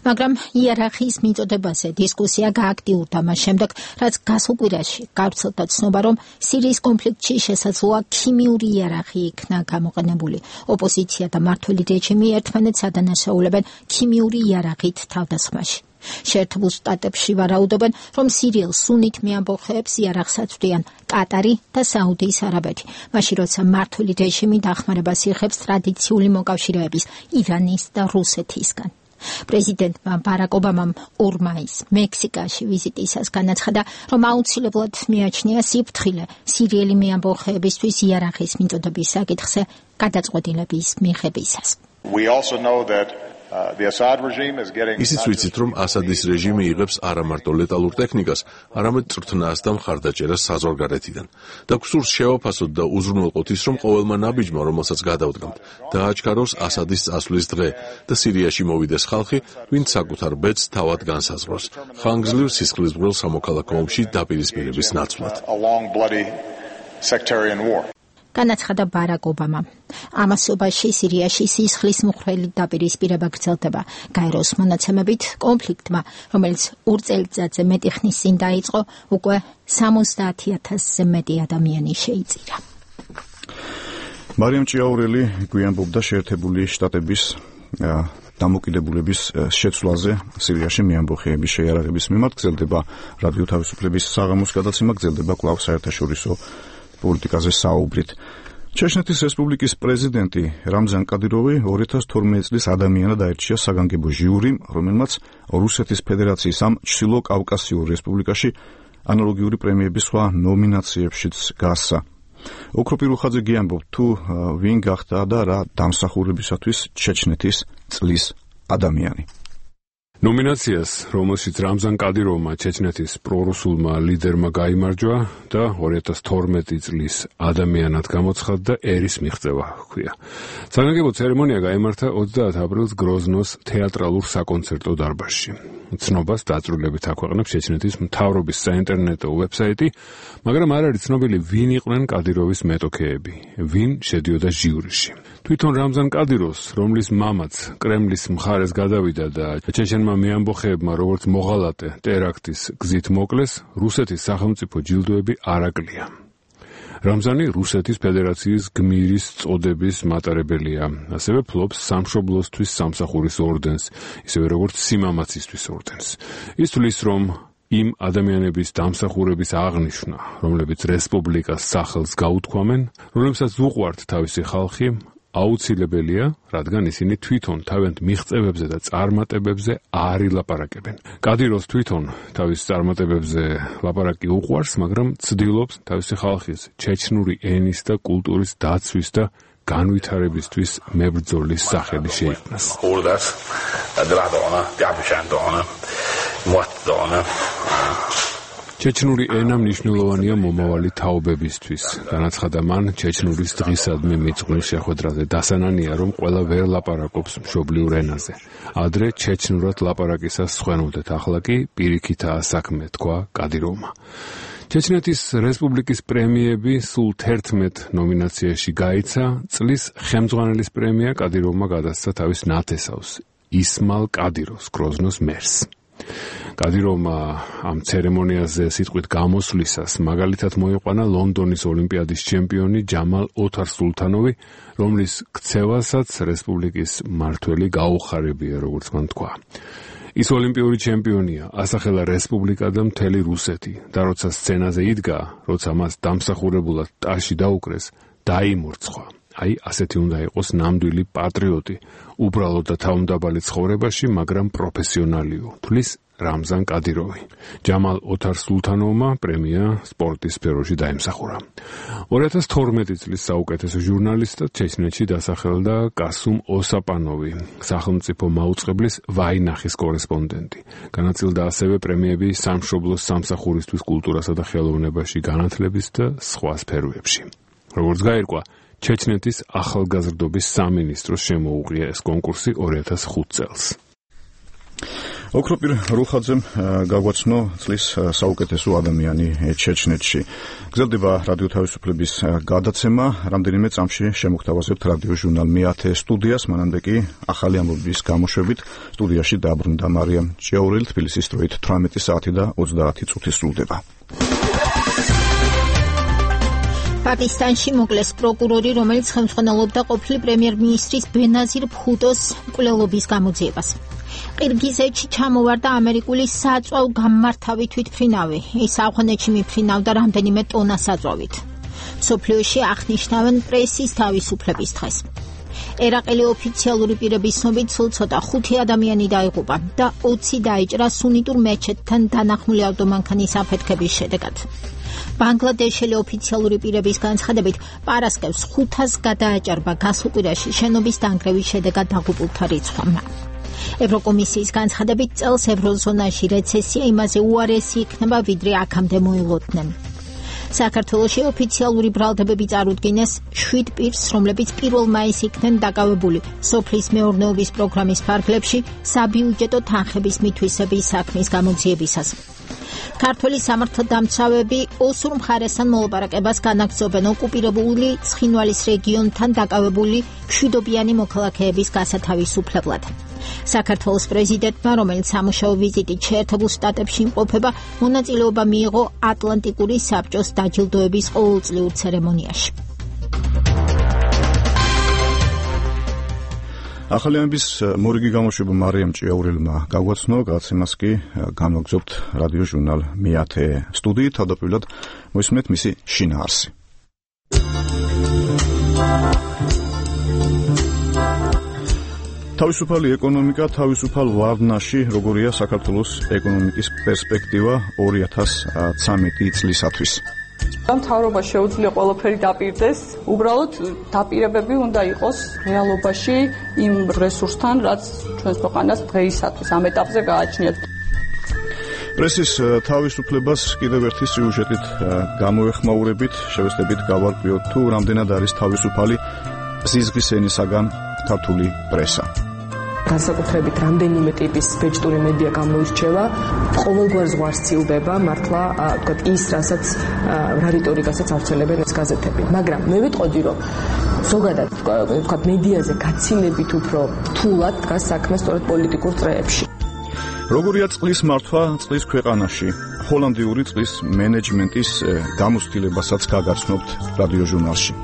მაგრამ იერარქიის მიწოდებაზე დისკუსია გააქტიურდა მას შემდეგ, რაც გასულ კვირაში გავრცელდა ცნობა, რომ სირიის კონფლიქტში შესაძლოა ქიმიური იერარქია იქნა გამოყენებული. ოპოზიცია და მმართველი რეჟიმი ერთმანეთს ადანაშაულებენ ქიმიური იერარქიით თავდასხმაში. შეერთებულ შტატებში ვარაუდობენ, რომ სირიელ სუნით მეამბოხეებს იარაღს აწვდიან კატარი და საუდის არაბეთი, მაშინ როცა მმართველი რეჟიმი დახმარებას იღებს ტრადიციული მოკავშირეების ირანის და რუსეთისგან. პრეზიდენტმა ბარაკ ობამამ 2 მაისს მექსიკაში ვიზიტისას განაცხადა, რომ აუცილებლად მიაჩნია სიფრთხილე სირიელი მეამბოხეებისთვის იარაღის მიწოდების საკითხზე გადაწყვეტილების მიღებისას. We also know that the Assad regime is getting ისიც ვიცით, რომ ასადის რეჟიმი იღებს არა მარტო ლეტალურ ტექნიკას, არამედ წვრთნას და მხარდაჭერას საზღვარგარეთიდან. და გსურს შევაფასოთ და უზრუნველყოთ ის, რომ ყოველმა ნაბიჯმა, რომელსაც გადავდგამთ, დააჩქაროს ასადის წასვლის დღე და სირიაში მოვიდეს ხალხი, ვინც საკუთარ ბედს თავად განსაზღვროს. ხანგრძლივ სისხლისმღვრელ სამოქალაქო ომში დაპირისპირების ნაცვლად. განაცხადა ბარაკ ობამა. ამასობაში სირიაში სისხლის მუხრელი დაპირისპირება გრძელდება. გაეროს მონაცემებით კონფლიქტმა, რომელიც 2 წელიწადზე მეტი ხნის წინ დაიწყო, უკვე 70,000-ზე მეტი ადამიანი შეიწირა. მარიამ ჭიაურელი გვიანბობდა შეერთებული შტატების დამოკიდებულების შეცვლაზე სირიაში მეამბოხეების შეიარაღების მიმართ. გრძელდება რადიო თავისუფლების საღამოს გადაცემა, გრძელდება კვლავ საერთაშორისო პოლიტიკაზე საუბრით. ჩეჩნეთის რესპუბლიკის პრეზიდენტი რამზან კადიროვი 2012 წლის ადამიანად აირჩია საგანგებო ჟიურიმ, რომელმაც რუსეთის ფედერაციის ამ ჩრდილო კავკასიურ რესპუბლიკაში ანალოგიური პრემიების სხვა ნომინაციებშიც გასცა. ოქრო პირუხაძე გიამბობ თუ ვინ გახდა და რა დამსახურებისათვის ჩეჩნეთის წლის ადამიანი. ნომინაციას, რომელშიც რამზან კადიროვმა ჩეჩნეთის პრორუსულმა ლიდერმა გაიმარჯვა და 2012 წლის ადამიანად გამოცხადდა ერის მიღწევა ჰქვია. საგანგებო ცერემონია გაიმართა 30 აპრილს გროზნოს თეატრალურ საკონცერტო დარბაზში. ცნობას დაწვრილებით აქვეყნებს ჩეჩნეთის მთავრობის საინტერნეტო ვებსაიტი, მაგრამ არ არის ცნობილი, ვინ იყვნენ კადიროვის მეტოქეები, ვინ შედიოდა ჟიურიში. თვითონ რამზან კადიროვს, რომლის მამაც კრემლის მხარეს გადავიდა და ჩეჩენმა მეამბოხეებმა როგორც მოღალატე ტერაქტის გზით მოკლეს, რუსეთის სახელმწიფო ჯილდოები არ აკლია. რამზანი რუსეთის ფედერაციის გმირის წოდების მატარებელია, ასევე ფლობს სამშობლოსთვის სამსახურის ორდენს, ისევე როგორც სიმამაცისთვის ორდენს. ის თვლის, რომ იმ ადამიანების დამსახურების აღნიშვნა, რომლებიც რესპუბლიკას სახელს გაუთქვამენ, რომლებსაც უყვართ თავისი ხალხი, აუცილებელია, რადგან ისინი თვითონ თავიანთ მიღწევებზე და წარმატებებზე არ ილაპარაკებენ. კადიროვს თვითონ თავის წარმატებებზე ლაპარაკი უყვარს, მაგრამ ცდილობს თავისი ხალხის ჩეჩნური ენის და კულტურის დაცვის და განვითარებისთვის მებრძოლის სახელი შეიქმნას. ჩეჩნური ენა მნიშვნელოვანია მომავალი თაობებისთვის. განაცხადა მან ჩეჩნურის დღისადმი მიძღვნის შეხვედრაზე. დასანანია, რომ ყველა ვერ ლაპარაკობს მშობლიურ ენაზე. ადრე ჩეჩნურად ლაპარაკისას სხვენოდეთ, ახლა კი პირიქითაა საქმე, თქვა კადიროვმა. ჩეჩნეთის რესპუბლიკის პრემიები სულ 11 ნომინაციაში გაიცა. წლის ხელმძღვანელის პრემია კადიროვმა გადასცა თავის ნათესავს, ისმალ კადიროვს, გროზნოს მერს. კადიროვმა ამ ცერემონიაზე სიტყვით გამოსვლისას მაგალითად მოიყვანა ლონდონის ოლიმპიადის ჩემპიონი ჯამალ ოთარ-სულთანოვი, რომლის ქცევასაც რესპუბლიკის მმართველი გაუხარებია, როგორც მან თქვა. ის ოლიმპიური ჩემპიონია, ასახელა რესპუბლიკა და მთელი რუსეთი და როცა სცენაზე იდგა, როცა მას დამსახურებულად ტაში დაუკრეს, დაიმორცხვა. აი, ასეთი უნდა იყოს ნამდვილი პატრიოტი, უბრალოდ და თავმდაბალი ცხოვრებაში, მაგრამ პროფესიონალიო, თვლის რამზან კადიროვი. ჯამალ ოთარ-სულთანოვმა პრემია სპორტის სფეროში დაიმსახურა. 2012 წლის საუკეთესო ჟურნალისტად ჩეჩნეთში დასახელდა კასუმ ოსაპანოვი, სახელმწიფო მაუწყებლის ვაინახის კორესპონდენტი. განაწილდა ასევე პრემიები სამშობლოს სამსახურისთვის კულტურასა და ხელოვნებაში განათლების და სხვა სფეროებში. როგორც გაირკვა, ჩეჩნეთის ახალგაზრდობის სამინისტროს შემოუღია ეს კონკურსი 2005 წელს. ოქროპირ რუხაძემ გაგვაცნო წლის საუკეთესო ადამიანი ჩეჩნეთში. გრძელდება რადიო თავისუფლების გადაცემა, რამდენიმე წამში შემოგთავაზებთ რადიო ჟურნალ მე-10 სტუდიას, მანამდე კი ახალი ამბების გამოშვებით სტუდიაში დაბრუნდა მარიამ ჭიაურელი. თბილისის დროით 18 საათი და 30 წუთი სრულდება. პაკისტანში მოკლეს პროკურორი, რომელიც ხელმძღვანელობდა ყოფილი პრემიერ-მინისტრის ბენაზირ ბჰუტოს მკვლელობის გამოძიებას. ყირგიზეთში ჩამოვარდა ამერიკული საწვავ გამმართავი თვითმფრინავი. ის ავღანეთში მიფრინავდა რამდენიმე ტონა საწვავით. მსოფლიოში აღნიშნავენ პრესის თავისუფლების დღეს. ერაყელი ოფიციალური პირების ცნობით სულ ცოტა 5 ადამიანი დაიღუპა და 20 დაიჭრა სუნიტურ მეჩეთთან დანახმული ავტომანქანის აფეთქების შედეგად. ბანგლადეშელი ოფიციალური პირების განცხადებით პარასკევს 500 გადააჭარბა გასულ კვირაში შენობის დანგრევის შედეგად დაღუპულთა რიცხვამ. ევროკომისიის განცხადებით წელს ევროზონაში რეცესია იმაზე უარესი იქნება, ვიდრე აქამდე მოილოდნენ. საქართველოში ოფიციალური ბრალდებები წარუდგინეს 7 პირს, რომლებიც 1 მაისს იქნენ დაკავებული სოფლის მეურნეობის პროგრამის ფარგლებში საბიუჯეტო თანხების მითვისების საქმის გამოძიებისას. ქართველი სამართალდამცავები ოსურ მხარესთან მოლაპარაკებას განაგრძობენ ოკუპირებული ცხინვალის რეგიონთან დაკავებული მშვიდობიანი მოქალაქეების გასათავისუფლებლად. საქართველოს პრეზიდენტმა, რომელიც სამუშაო ვიზიტით შეერთებულ შტატებში იმყოფება, მონაწილეობა მიიღო ატლანტიკური საბჭოს დაჯილდოების ყოველწლიურ ცერემონიაში. ახალი ამბის მორიგი გამოშვება მარიამ ჭიაურელმა გაგვაცნო, გადაცემას კი განვაგრძობთ რადიო ჟურნალ მე-10 სტუდიით. თავდაპირველად მოისმენთ მისი შინაარსი. თავისუფალი ეკონომიკა თავისუფალ ვარდნაში, როგორია საქართველოს ეკონომიკის პერსპექტივა 2013 წლისათვის. მთავრობა შეუძლია ყველაფერი დაპირდეს, უბრალოდ დაპირებები უნდა იყოს რეალობაში იმ რესურსთან, რაც ჩვენს ქვეყანას დღეისათვის ამ ეტაპზე გააჩნიათ. პრესის თავისუფლებას კიდევ ერთი სიუჟეტით გამოეხმაურებით, შევეცდებით გავარკვიოთ თუ რამდენად არის თავისუფალი ზიზღის ენისაგან ქართული პრესა. განსაკუთრებით რამდენიმე ტიპის ბეჭდური მედია გამოირჩევა, ყოველგვარ ზღვარს ცილდება მართლა ის, რასაც რა რიტორიკასაც ავრცელებენ ეს გაზეთები. მაგრამ მე ვიტყოდი, რომ ზოგადად ვთქვათ მედიაზე გაცილებით უფრო რთულად დგას საქმე სწორედ პოლიტიკურ წრეებში. როგორია წყლის მართვა წყლის ქვეყანაში? ჰოლანდიური წყლის მენეჯმენტის გამოცდილებასაც გაგაცნობთ რადიო ჟურნალში.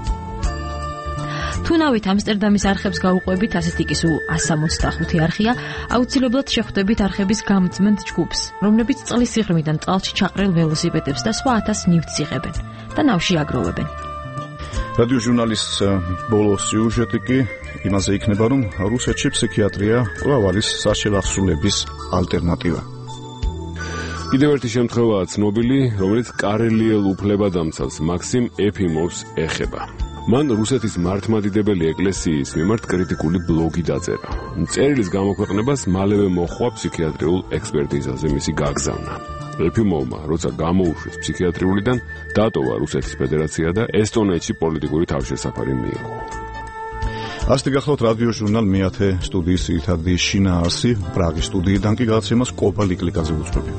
თუ ნავით ამსტერდამის არხებს გაუყვებით, ასეთი კი სულ 165 არხია, აუცილებლად შეხვდებით არხების გამწმენთ ჯგუფს, რომლებიც წყლის სიღრმიდან წყალში ჩაყრილ ველოსიპედებს და სხვა 1000 ნივთს იღებენ და ნავში აგროვებენ. რადიო ჟურნალის ბოლო სიუჟეტი კი იმაზე იქნება, რომ რუსეთში ფსიქიატრია კვლავ არის საშელახსულების ალტერნატივა. კიდევ ერთი შემთხვევაა ცნობილი, რომელიც კარელიელ უფლებადამცავს მაქსიმ ეფიმოვს ეხება. მან რუსეთის მართლმადიდებელი ეკლესიის მიმართ კრიტიკული ბლოგი დაწერა. წერილის გამოქვეყნებას მალევე მოჰყვა ფსიქიატრიულ ექსპერტიზაზე მისი გაგზავნა. ეფიმოვმა, როცა გამოუშვეს ფსიქიატრიულიდან, დატოვა რუსეთის ფედერაცია და ესტონეთში პოლიტიკური თავშესაფარი მიიღო. ასეთი გახლავთ რადიო ჟურნალ მე-10 სტუდიის ძირითადი შინაარსი. პრაღის სტუდიიდან კი გადაცემას კობალ იკლიკაძე უძღვები.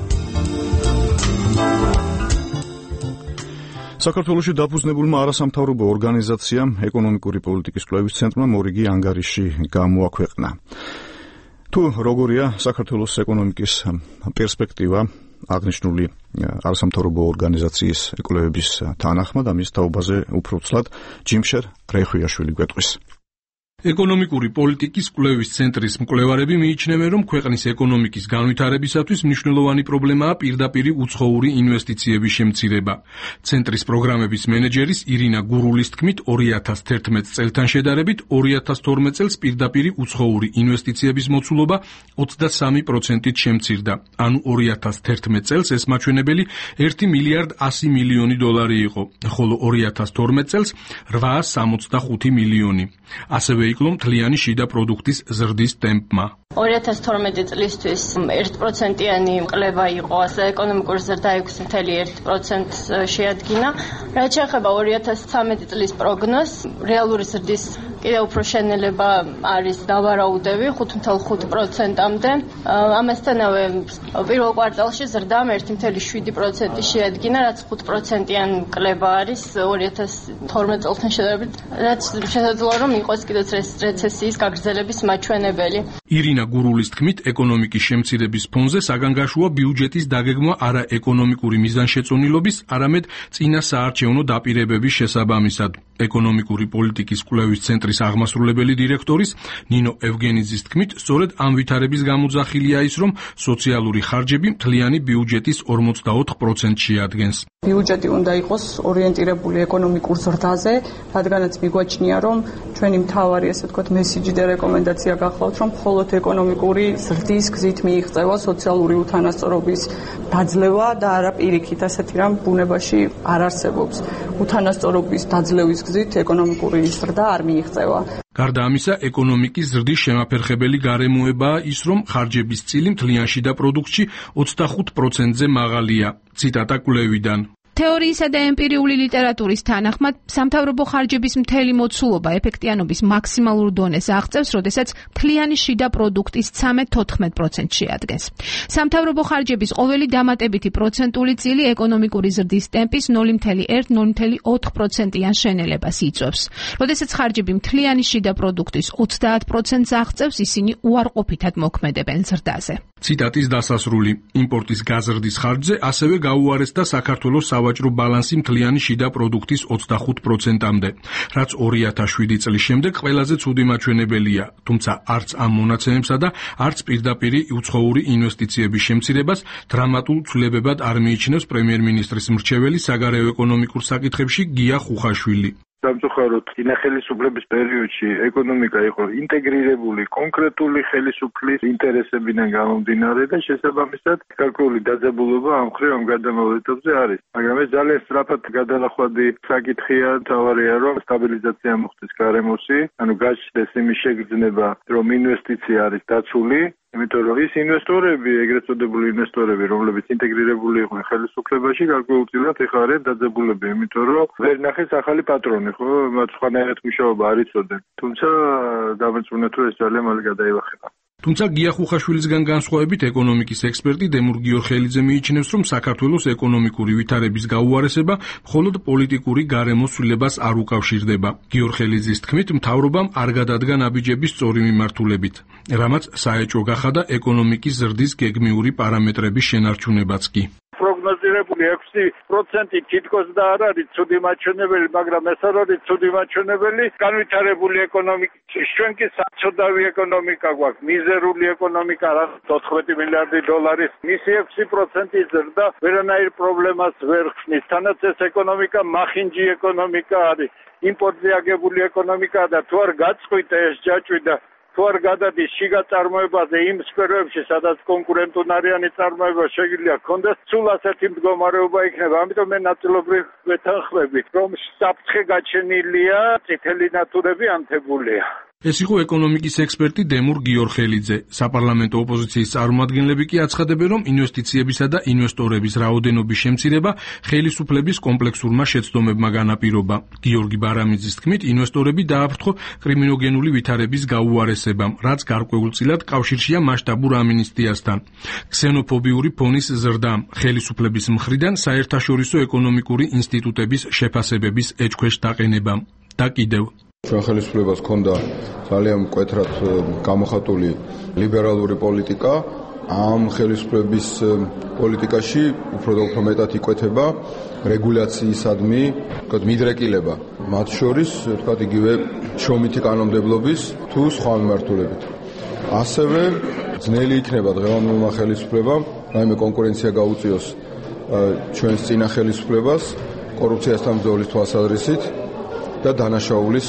საქართველოში დაფუძნებულმა არასამთავრობო ორგანიზაციამ ეკონომიკური პოლიტიკის კვლევის ცენტრმა მორიგი ანგარიში გამოაქვეყნა. თუ როგორია საქართველოს ეკონომიკის პერსპექტივა აღნიშნული არასამთავრობო ორგანიზაციის კვლევების თანახმად, ამის თაობაზე უფრო ცლად ჯიმშერ რეხვიაშვილი გვეტყვის. ეკონომიკური პოლიტიკის კვლევის ცენტრის მკვლევარები მიიჩნევენ, რომ ქვეყნის ეკონომიკის განვითარებისათვის მნიშვნელოვანი პრობლემაა პირდაპირი უცხოური ინვესტიციების შემცირება. ცენტრის პროგრამების მენეჯერის ირინა გურულის თქმით, 2011 წელთან შედარებით 2012 წელს პირდაპირი უცხოური ინვესტიციების მოცულობა 23%-ით შემცირდა. ანუ 2011 წელს ეს მაჩვენებელი 1 მილიარდ 100 მილიონი დოლარი იყო, ხოლო 2012 წელს 865 მილიონი. ასევე იკლო მთლიანი შიდა პროდუქტის ზრდის ტემპმა. 2012 წლისთვის 1%-იანი მკლება იყო, ეკონომიკური ზრდა 6.1% შეადგინა. რაც შეეხება 2013 წლის პროგნოზს, რეალური ზრდის კიდევ უფრო შენელება არის დავარაუდები 5.5%-მდე. ამასთანავე პირველ კვარტალში ზრდამ 1.7% შეადგინა, რაც 5%-იან კლება არის 2012 წელთან შედარებით, რაც შესაძლოა რომ იყოს კიდეც რეცესიის გაგრძელების მაჩვენებელი. ირინა გურულის თქმით, ეკონომიკის შემცირების ფონზე საგანგაშოა ბიუჯეტის დაგეგმვა არა ეკონომიკური მიზანშეწონილობის, არამედ წინა საარჩევნო დაპირებების შესაბამისად. ეკონომიკური პოლიტიკის კვლევის ცენტრის აღმასრულებელი დირექტორის ნინო ევგენიძის თქმით, სწორედ ამ ვითარების გამოძახილია ის, რომ სოციალური ხარჯები მთლიანი ბიუჯეტის 44% შეადგენს. ბიუჯეტი უნდა იყოს ორიენტირებული ეკონომიკურ ზრდაზე, რადგანაც მიგვაჩნია, რომ ჩვენი მთავარი, ასე ვთქვათ, მესიჯი და რეკომენდაცია გახლავთ, რომ მხოლოდ ეკონომიკური ზრდის გზით მიიღწევა სოციალური უთანასწორობის დაძლევა და არა პირიქით, ასეთი რამ ბუნებაში არ არსებობს. უთანასწორობის დაძლევის გზით ეკონომიკური ზრდა არ მიიღწევა. გარდა ამისა, ეკონომიკის ზრდის შემაფერხებელი გარემოებაა ის, რომ ხარჯების წილი მთლიან შიდა პროდუქტში 25%-ზე მაღალია. ციტატა კვლევიდან. თეორიისა და ემპირიული ლიტერატურის თანახმად, სამთავრობო ხარჯების მთელი მოცულობა ეფექტიანობის მაქსიმალურ დონეს აღწევს, როდესაც მთლიანი შიდა პროდუქტის 13-14% შეადგენს. სამთავრობო ხარჯების ყოველი დამატებითი პროცენტული წილი ეკონომიკური ზრდის ტემპის 0.1-0.4%-იან შენელებას იწვევს. როდესაც ხარჯები მთლიანი შიდა პროდუქტის 30%-ს აღწევს, ისინი უარყოფითად მოქმედებენ ზრდაზე. ციტატის დასასრული. იმპორტის გაზრდის ხარჯზე ასევე გაუარესდა საქართველოს სავაჭრო ბალანსი მთლიანი შიდა პროდუქტის 25%-მდე, რაც 2007 წლის შემდეგ ყველაზე ცუდი მაჩვენებელია, თუმცა არც ამ მონაცემებსა და არც პირდაპირი უცხოური ინვესტიციების შემცირებას დრამატულ ცვლილებებად არ მიიჩნევს პრემიერ-მინისტრის მრჩეველი საგარეო ეკონომიკურ საკითხებში გია ხუხაშვილი. სამწუხაროდ წინა ხელისუფლების პერიოდში ეკონომიკა იყო ინტეგრირებული კონკრეტული ხელისუფლის ინტერესებიდან გამომდინარე და შესაბამისად გარკვეული დაძაბულობა ამ მხრივ ამ გადამავალ ეტაპზე არის. მაგრამ ეს ძალიან სწრაფად გადალახვადი საკითხია, თავარია რომ სტაბილიზაცია მოხდეს გარემოში, ანუ გაჩნდეს იმის შეგრძნება, რომ ინვესტიცია არის დაცული. იმიტომ რომ ის ინვესტორები, ეგრეთ წოდებული ინვესტორები, რომლებიც ინტეგრირებული იყვნენ ხელისუფლებაში, გარკვეულწილად ეხლა არიან დაძაბულები, იმიტომ რომ ვერ ნახეს ახალი პატრონი, ხო, მათ სხვანაირად მუშაობა არ იცოდნენ. თუმცა დამეწუნა თუ ეს ძალიან მალე გადაილახება. თუმცა გია ხუხაშვილისგან განსხვავებით ეკონომიკის ექსპერტი დემურ გიორხელიძე მიიჩნევს, რომ საქართველოს ეკონომიკური ვითარების გაუარესება მხოლოდ პოლიტიკური გარემოს ცვლილებას არ უკავშირდება. გიორხელიძის თქმით, მთავრობამ არ გადადგა ნაბიჯების სწორი მიმართულებით, რამაც საეჭვო გახადა ეკონომიკის ზრდის გეგმიური პარამეტრების შენარჩუნებაც კი. პროგნოზირებული 6% თითქოს და არ არის ცუდი მაჩვენებელი, მაგრამ ეს არ არის ცუდი მაჩვენებელი განვითარებული ეკონომიკის. ჩვენ კი საწოდავი ეკონომიკა გვაქვს, მიზერული ეკონომიკა, 14 მილიარდი დოლარის, მისი 6% ზრდა ვერანაირ პრობლემას ვერ ხსნის. თანაც ეს ეკონომიკა მახინჯი ეკონომიკა არის, იმპორტზე აგებული ეკონომიკაა და თუ არ გაწყვიტა ეს ჯაჭვი და თუ არ გადადის შიგა წარმოებაზე იმ სფეროებში, სადაც კონკურენტუნარიანი წარმოება შეგვიძლია გქონდეს, სულ ასეთი მდგომარეობა იქნება. ამიტომ მე ნაწილობრივ ვეთანხმები, რომ საფრთხე გაჩენილია, წითელი ნატურები ანთებულია. ეს იყო ეკონომიკის ექსპერტი დემურ გიორხელიძე. საპარლამენტო ოპოზიციის წარმომადგენლები კი აცხადებენ, რომ ინვესტიციებისა და ინვესტორების რაოდენობის შემცირება ხელისუფლების კომპლექსურმა შეცდომებმა განაპირობა. გიორგი ბარამიძის თქმით, ინვესტორები დააფრთხო კრიმინოგენული ვითარების გაუარესებამ, რაც გარკვეულწილად კავშირშია მასშტაბურ ამინისტიასთან. ქსენოფობიური ფონის ზრდამ, ხელისუფლების მხრიდან საერთაშორისო ეკონომიკური ინსტიტუტების შეფასებების ეჭქვეშ დაყენებამ და კიდევ ჩვენ ხელისუფლებას ჰქონდა ძალიან მკვეთრად გამოხატული ლიბერალური პოლიტიკა. ამ ხელისუფლების პოლიტიკაში უფრო და უფრო მეტად იკვეთება რეგულაციისადმი, თქვათ, მიდრეკილება. მათ შორის, თქვათ, იგივე შრომითი კანონმდებლობის თუ სხვა მიმართულებით. ასევე ძნელი იქნება დღევანდელმა ხელისუფლებამ, რაიმე კონკურენცია გაუწიოს ჩვენს წინა ხელისუფლებას კორუფციასთან ბრძოლის თვალსაზრისით და დანაშაულის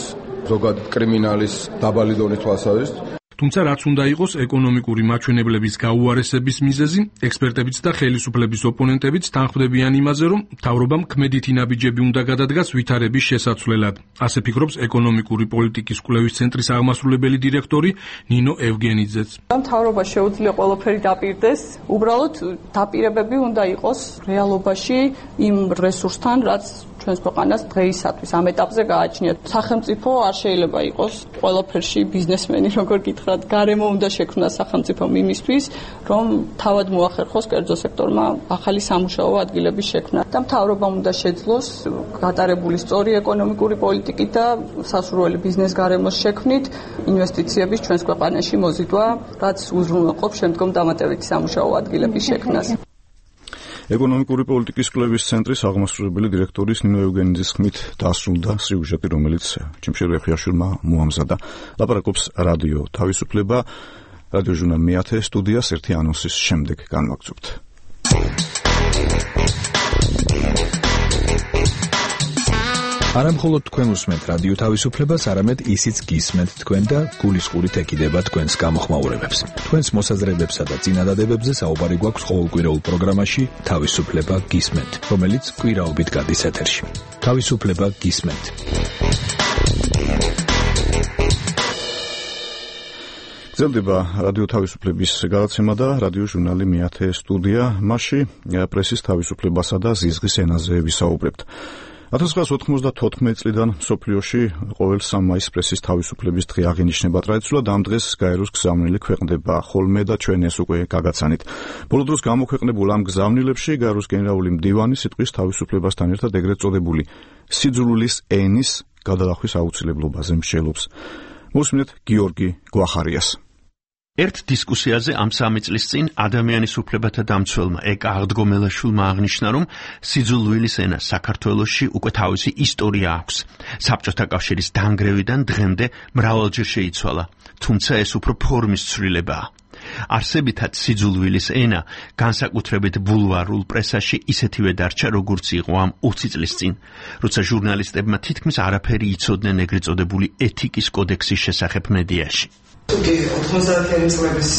ზოგადად კრიმინალის დაბალი დონის თვალსაზრისით. თუმცა რაც უნდა იყოს ეკონომიკური მაჩვენებლების გაუარესების მიზეზი, ექსპერტებიც და ხელისუფლების ოპონენტებიც თანხმდებიან იმაზე, რომ მთავრობამ ქმედითი ნაბიჯები უნდა გადადგას ვითარების შესაცვლელად. ასე ფიქრობს ეკონომიკური პოლიტიკის კვლევის ცენტრის აღმასრულებელი დირექტორი ნინო ევგენიძეც. მთავრობა შეუძლია ყველაფერი დაპირდეს, უბრალოდ დაპირებები უნდა იყოს რეალობაში იმ რესურსთან, რაც ჩვენს ქვეყანას დღეისათვის ამ ეტაპზე გააჩნია. სახელმწიფო არ შეიძლება იყოს ყველაფერში ბიზნესმენი, როგორ გითხრათ, გარემო უნდა შექმნას სახელმწიფომ იმისთვის, რომ თავად მოახერხოს კერძო სექტორმა ახალი სამუშაო ადგილების შექმნა და მთავრობამ უნდა შეძლოს გატარებული სწორი ეკონომიკური პოლიტიკით და სასურველი ბიზნეს გარემოს შექმნით ინვესტიციების ჩვენს ქვეყანაში მოზიდვა, რაც უზრუნველყოფს შემდგომ დამატებითი სამუშაო ადგილების შექმნას. ეკონომიკური პოლიტიკის კვლევის ცენტრის აღმასრულებელი დირექტორის ნინო ევგენიძის ხმით დასრულდა სიუჟეტი, რომელიც ჩიმშერ ეხვიაშვილმა მოამზადა. ლაპარაკობს რადიო თავისუფლება, რადიო ჟურნალ მეათე სტუდიას ერთი ანონსის შემდეგ განვაგრძობთ. არამხოლოდ თქვენ უსმენთ რადიო თავისუფლებას, არამედ ისიც გისმენთ თქვენ და გულისყურით ეკიდება თქვენს გამოხმაურებებს. თქვენს მოსაზრებებსა და წინადადებებზე საუბარი გვაქვს ყოველკვირეულ პროგრამაში თავისუფლება გისმენთ, რომელიც კვირაობით გადის ეთერში. თავისუფლება გისმენთ. გრძელდება რადიო თავისუფლების გადაცემა და რადიო ჟურნალი მეათე სტუდია. მასში პრესის თავისუფლებასა და ზიზღის ენაზე ვისაუბრებთ. 1994 წლიდან მსოფლიოში ყოველ 3 მაისს პრესის თავისუფლების დღე აღინიშნება. ტრადიციულად ამ დღეს გაეროს გზავნილი ქვეყნდება ხოლმე და ჩვენ ეს უკვე გაგაცანით. ბოლო დროს გამოქვეყნებულ ამ გზავნილებში გაეროს გენერალური მდივანი სიტყვის თავისუფლებასთან ერთად ეგრეთ წოდებული სიძულვილის ენის გადალახვის აუცილებლობაზე მსჯელობს. მოსმენთ გიორგი გვახარიას. ერთ დისკუსიაზე ამ 3 წლის წინ ადამიანის უფლებათა დამცველმა ეკა აღდგომელაშვილმა აღნიშნა, რომ სიძულვილის ენა საქართველოში უკვე თავისი ისტორია აქვს. საბჭოთა კავშირის დანგრევიდან დღემდე მრავალჯერ შეიცვალა, თუმცა ეს უფრო ფორმის ცვლილებაა. არსებითად სიძულვილის ენა განსაკუთრებით ბულვარულ პრესაში ისეთივე დარჩა, როგორც იყო ამ 20 წლის წინ, როცა ჟურნალისტებმა თითქმის არაფერი იცოდნენ ეგრეთ წოდებული ეთიკის კოდექსის შესახებ მედიაში. თუკი 90-იანი წლების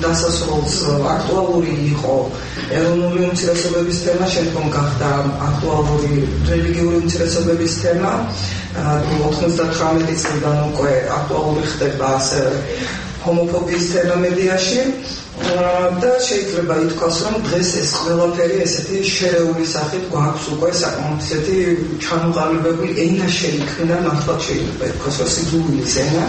დასასრულს აქტუალური იყო ეროვნული უმცირესობების თემა, შემდგომ გახდა აქტუალური რელიგიური უმცირესობების თემა. 99 წლიდან უკვე აქტუალური ხდება ასევე ჰომოფობიის თემა მედიაში და შეიძლება ითქვას, რომ დღეს ეს ყველაფერი ესეთი შერეული სახით გვაქვს უკვე საკმაოდ ისეთი ჩამოყალიბებული ენა შეიქმნა, მართლაც შეიძლება ითქვას, რომ სიძულვილის ენა.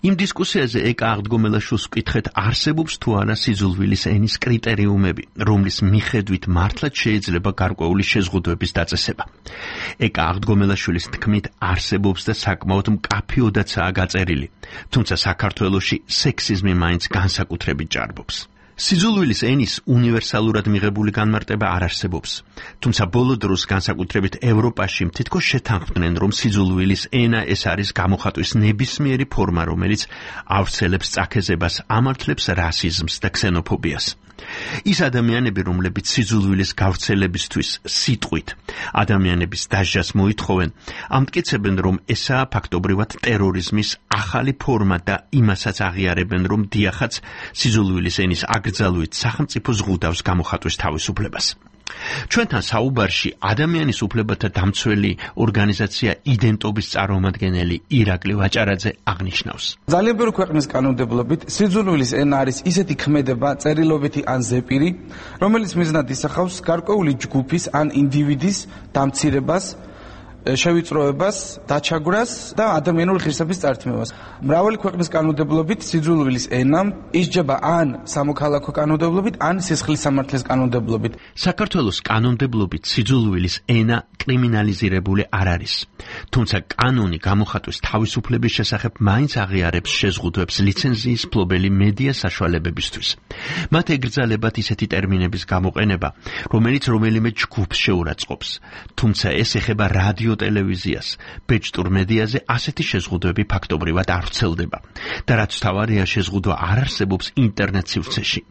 იმ დისკუსიაზე ეკა აღდგომელაშვილს ვკითხეთ, არსებობს თუ არა სიძულვილის ენის კრიტერიუმები, რომლის მიხედვით მართლაც შეიძლება გარკვეული შეზღუდვების დაწესება. ეკა აღდგომელაშვილის თქმით, არსებობს და საკმაოდ მკაფიოდაცაა გაწერილი, თუმცა საქართველოში სექსიზმი მაინც განსაკუთრებით ჭარბობს. სიძულვილის ენის უნივერსალურად მიღებული განმარტება არ არსებობს, თუმცა ბოლო დროს განსაკუთრებით ევროპაში თითქოს შეთანხმდნენ, რომ სიძულვილის ენა ეს არის გამოხატვის ნებისმიერი ფორმა, რომელიც ავრცელებს წაქეზებას, ამართლებს რასიზმს და ქსენოფობიას. ის ადამიანები, რომლებიც სიძულვილის გავრცელებისთვის სიტყვით ადამიანების დასჯას მოითხოვენ, ამტკიცებენ, რომ ესაა ფაქტობრივად ტერორიზმის ახალი ფორმა და იმასაც აღიარებენ, რომ დიახაც სიძულვილის ენის აკრძალვით სახელმწიფო ზღუდავს გამოხატვის თავისუფლებას. ჩვენთან საუბარში ადამიანის უფლებათა დამცველი ორგანიზაცია იდენტობის წარმომადგენელი ირაკლი ვაჭარაძე აღნიშნავს. ძალიან ბევრი ქვეყნის კანონმდებლობით სიძულვილის ენა არის ისეთი ქმედება, წერილობითი ან ზეპირი, რომელიც მიზნად ისახავს გარკვეული ჯგუფის ან ინდივიდის დამცირებას, შევიწროებას, დაჩაგვრას და ადამიანური ღირსების წართმევას. მრავალი ქვეყნის კანონმდებლობით სიძულვილის ენა ისჯება ან სამოქალაქო კანონმდებლობით, ან სისხლის სამართლის კანონმდებლობით. საქართველოს კანონმდებლობით სიძულვილის ენა კრიმინალიზირებული არ არის. თუმცა კანონი გამოხატვის თავისუფლების შესახებ მაინც აღიარებს შეზღუდვებს ლიცენზიის ფლობელი მედია საშუალებებისთვის. მათ ეგრძალებათ ისეთი ტერმინების გამოყენება, რომელიც რომელიმე ჯგუფს შეურაცხყოფს, თუმცა ეს ეხება რადიო ტელევიზიას, ბეჭდურ მედიაზე ასეთი შეზღუდვები ფაქტობრივად არ ვრცელდება და რაც თავარია შეზღუდვა არ არსებობს ინტერნეტ სივრცეში.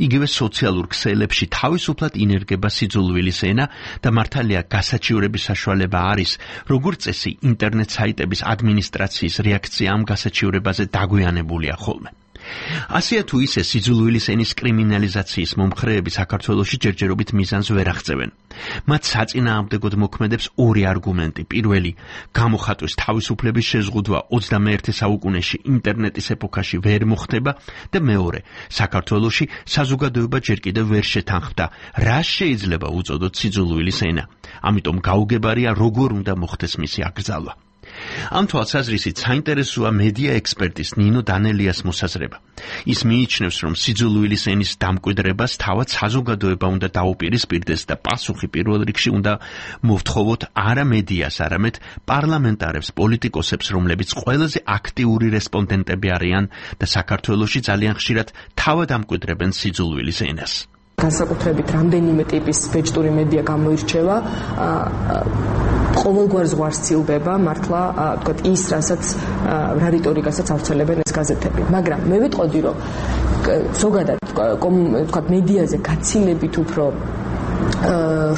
იგივე სოციალურ ქსელებში თავისუფლად ინერგება სიძულვილის ენა და მართალია გასაჩივრების საშუალება არის, როგორც წესი ინტერნეტ საიტების ადმინისტრაციის რეაქცია ამ გასაჩივრებაზე დაგვიანებულია ხოლმე. ასეა თუ ისე სიძულვილის ენის კრიმინალიზაციის მომხრეები საქართველოში ჯერჯერობით მიზანს ვერ აღწევენ. მათ საწინააღმდეგოდ მოქმედებს ორი არგუმენტი. პირველი, გამოხატვის თავისუფლების შეზღუდვა 21 საუკუნეში ინტერნეტის ეპოქაში ვერ მოხდება და მეორე, საქართველოში საზოგადოება ჯერ კიდევ ვერ შეთანხმდა, რა შეიძლება უწოდოთ სიძულვილის ენა. ამიტომ გაუგებარია როგორ უნდა მოხდეს მისი აკრძალვა. ამ თვალსაზრისით საინტერესოა მედია ექსპერტის ნინო დანელიას მოსაზრება. ის მიიჩნევს, რომ სიძულვილის ენის დამკვიდრებას თავად საზოგადოება უნდა დაუპირისპირდეს და პასუხი პირველ რიგში უნდა მოვთხოვოთ არა მედიას, არამედ პარლამენტარებს, პოლიტიკოსებს, რომლებიც ყველაზე აქტიური რესპონდენტები არიან და საქართველოში ძალიან ხშირად თავად ამკვიდრებენ სიძულვილის ენას. განსაკუთრებით რამდენიმე ტიპის ბეჭდური მედია გამოირჩევა ყოველგვარ ზღვარს ცილდება მართლა თქვათ ის რა რიტორიკასაც ავრცელებენ ეს გაზეთები, მაგრამ მე ვიტყოდი რომ ზოგადად თქვათ მედიაზე გაცილებით უფრო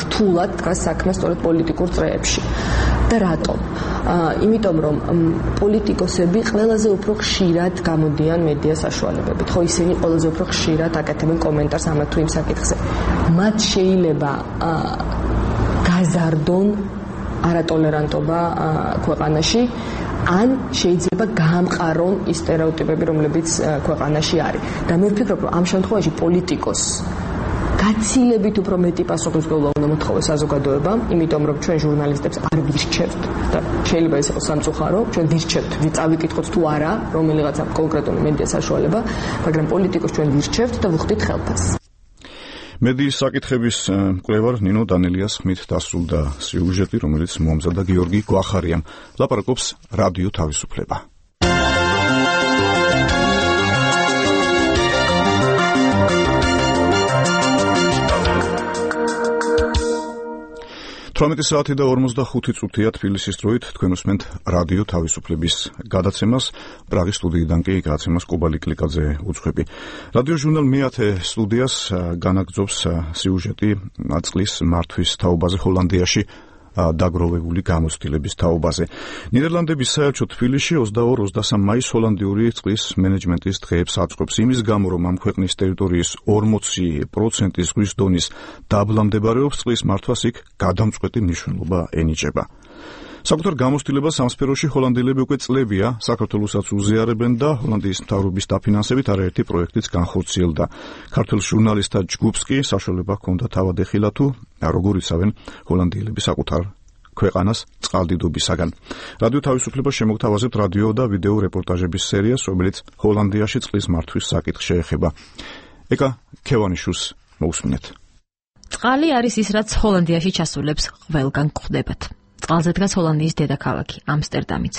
რთულად დგას საქმე სწორედ პოლიტიკურ წრეებში. და რატომ? იმიტომ რომ პოლიტიკოსები ყველაზე უფრო ხშირად გამოდიან მედია საშუალებებით. ხო, ისინი ყველაზე უფრო ხშირად აკეთებენ კომენტარს ამ თუ იმ საკითხზე. მათ შეიძლება გაზარდონ არატოლერანტობა ქვეყანაში, ან შეიძლება გაამყარონ ის სტერეოტიპები, რომლებიც ქვეყანაში არის. და მე ვფიქრობ, რომ ამ შემთხვევაში პოლიტიკოს გაცილებით უფრო მეტი პასუხისმგებლობა უნდა მოთხოვოს საზოგადოებამ, იმიტომ რომ ჩვენ ჟურნალისტებს არ ვირჩევთ და შეიძლება ეს იყოს სამწუხარო, ჩვენ ვირჩევთ, წავიკითხოთ თუ არა რომელიღაცა კონკრეტული მედია საშუალება, მაგრამ პოლიტიკოს ჩვენ ვირჩევთ და ვუხდით ხელფასს. მედიის საკითხების მკვლევარ ნინო დანელიას ხმით დასრულდა სიუჟეტი, რომელიც მომზადდა გიორგი გვახარიამ. ლაპარაკობს რადიო თავისუფლება. 18 საათი და 45 წუთია თბილისის დროით თქვენ უსმენთ რადიო თავისუფლების გადაცემას. პრაღის სტუდიიდან კი გადაცემას კობალი კლიკაძე უძღვები. რადიო ჟურნალ მე-10 სტუდიას განაგრძობს სიუჟეტი წყლის მართვის თაობაზე ჰოლანდიაში დაგროვებული გამოცდილების თაობაზე. ნიდერლანდების საელჩო თბილისში 22-23 მაისს ჰოლანდიური წყლის მენეჯმენტის დღეებს აწყობს იმის გამო, რომ ამ ქვეყნის ტერიტორიის 40% ზღვის დონის დაბლა მდებარეობს, წყლის მართვას იქ გადამწყვეტი მნიშვნელობა ენიჭება. საკუთარ გამოცდილებას ამ სფეროში ჰოლანდიელები უკვე წლებია საქართველოსაც უზიარებენ და ჰოლანდიის მთავრობის დაფინანსებით არაერთი პროექტიც განხორციელდა. ქართულ ჟურნალისტთა ჯგუფს კი საშუალება ჰქონდა თავად ეხილა თუ როგორ იცავენ ჰოლანდიელები საკუთარ ქვეყანას წყალდიდობისაგან. რადიო თავისუფლება შემოგთავაზებთ რადიო და ვიდეო რეპორტაჟების სერიას, რომელიც ჰოლანდიაში წყლის მართვის საკითხს შეეხება. ეკა ქევანიშვილს მოусმინეთ. წყალი არის ის, რაც ჰოლანდიაში ჩასულებს ყველგან გვხვდებათ. წყალზე დგას ჰოლანდიის დედაქალაქი ამსტერდამიც.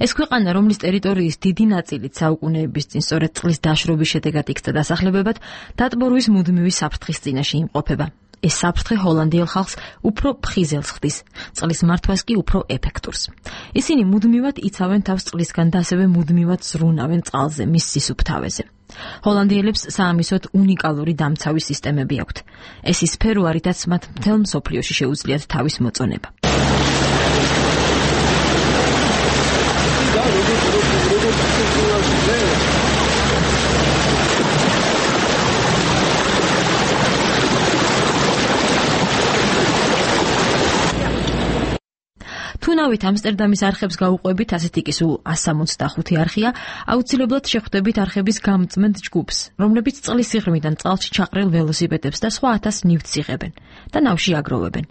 ეს ქვეყანა, რომლის ტერიტორიის დიდი ნაწილით საუკუნეების წინ სწორედ წყლის დაშრობის შედეგად იქცა დასახლებებად, დატბორვის მუდმივი საფრთხის წინაშე იმყოფება. ეს საფრთხე ჰოლანდიელ ხალხს უფრო ფხიზელს ხდის, წყლის მართვას კი უფრო ეფექტურს. ისინი მუდმივად იცავენ თავს წყლისგან და ასევე მუდმივად ზრუნავენ წყალზე, მის სისუფთავეზე. ჰოლანდიელებს საამისოდ უნიკალური დამცავი სისტემები აქვთ. ეს ის სფერო, რითაც მათ მთელ მსოფლიოში შეუძლიათ თავის მოწონება. თუ ნავით ამსტერდამის არხებს გაუყვებით, ასეთი კი სულ 165 არხია, აუცილებლად შეხვდებით არხების გამწმენდ ჯგუფს, რომლებიც წყლის სიღრმიდან წყალში ჩაყრილ ველოსიპედებს და სხვა 1000 ნივთს იღებენ და ნავში აგროვებენ.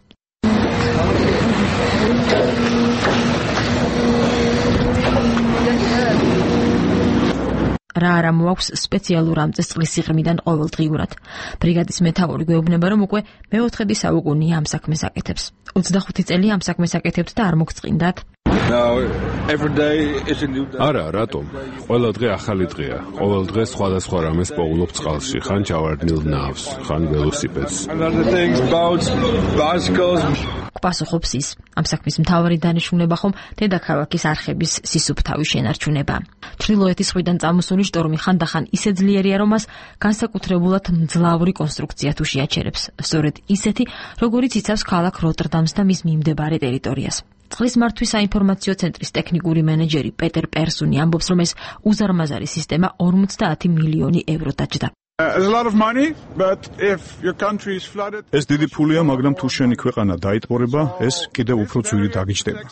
რა არა მოაქვს სპეციალურ ამწეს წყლის სიღრმიდან ყოველდღიურად. ბრიგადის მეთაური გვეუბნება, რომ უკვე მე-4 საუკუნეა ამ საქმეს აკეთებს. 25 წელი ამ საქმეს აკეთებთ და არ მოგწყინდათ? არა, რატომ? ყველა დღე ახალი დღეა. ყოველ დღე სხვადასხვა რამეს პოულობ წყალში, ხან ჩავარდნილ ნავს, ხან ველოსიპედს. პასუხობს ის. ამ საქმის მთავარი დანიშნულება ხომ დედაქალაქის არხების სისუფთავის შენარჩუნება. ჩრდილოეთის ზღვიდან წამოსული შტორმი ხანდახან ისე ძლიერია, რომ მას განსაკუთრებულად მძლავრი კონსტრუქცია თუ შეაჩერებს, სწორედ ისეთი, როგორიც იცავს ქალაქ როტერდამს და მის მიმდებარე ტერიტორიას. წყლის მართვის საინფორმაციო ცენტრის ტექნიკური მენეჯერი პეტერ პერსუნი ამბობს, რომ ეს უზარმაზარი სისტემა 50 მილიონი ევრო დაჯდა. ეს დიდი ფულია, მაგრამ თუ შენი ქვეყანა დაიტბორება, ეს კიდევ უფრო ძვირი დაგიჯდება.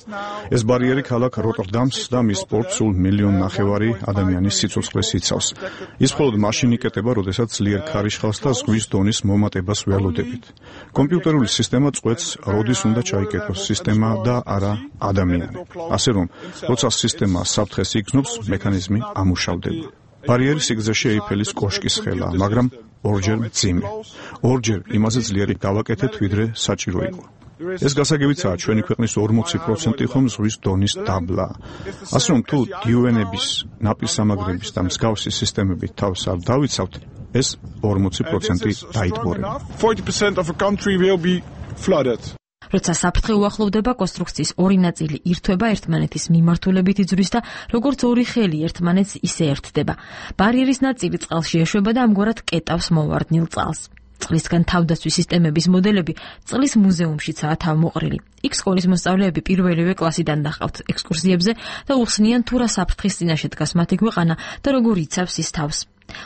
ეს ბარიერი ქალაქ როტერდამს და მის პორტს სულ 1,5 მილიონი ადამიანის სიცოცხლეს იცავს. ის მხოლოდ მაშინ იკეტება, როდესაც ძლიერ ქარიშხალს და ზღვის დონის მომატებას ველოდებით. კომპიუტერული სისტემა წყვეტს, როდის უნდა ჩაიკეტოს სისტემა და არა ადამიანი. ასე რომ, როცა სისტემა საფრთხეს იგრძნობს, მექანიზმი ამუშავდება. ბარიერი სიგრძეში ეიფელის კოშკის ხელაა, მაგრამ ორჯერ მძიმე. ორჯერ იმაზე ძლიერი გავაკეთეთ, ვიდრე საჭირო იყო. ეს გასაგებიცაა, ჩვენი ქვეყნის 40% ხომ ზღვის დონის დაბლა. ასე რომ, თუ დიუენების, ნაპირსამაგრების და მსგავსი სისტემებით თავს არ დავიცავთ, ეს 40% დაიტბორება. 40% of a country will be flooded. როცა საფრთხე უახლოვდება, კონსტრუქციის ორი ნაწილი ირთვება ერთმანეთის მიმართულებით იძვრის და როგორც ორი ხელი ერთმანეთს ისე ერთდება. ბარიერის ნაწილი წყალში ეშვება და ამგვარად კეტავს მოვარდნილ წყალს. წყლისგან თავდაცვის სისტემების მოდელები წყლის მუზეუმშიცაა თავმოყრილი. იქ სკოლის მოსწავლეები პირველივე კლასიდან დაჰყავთ ექსკურსიებზე და უხსნიან თუ რა საფრთხის წინაშე დგას მათი ქვეყანა და როგორ იცავს ის თავს.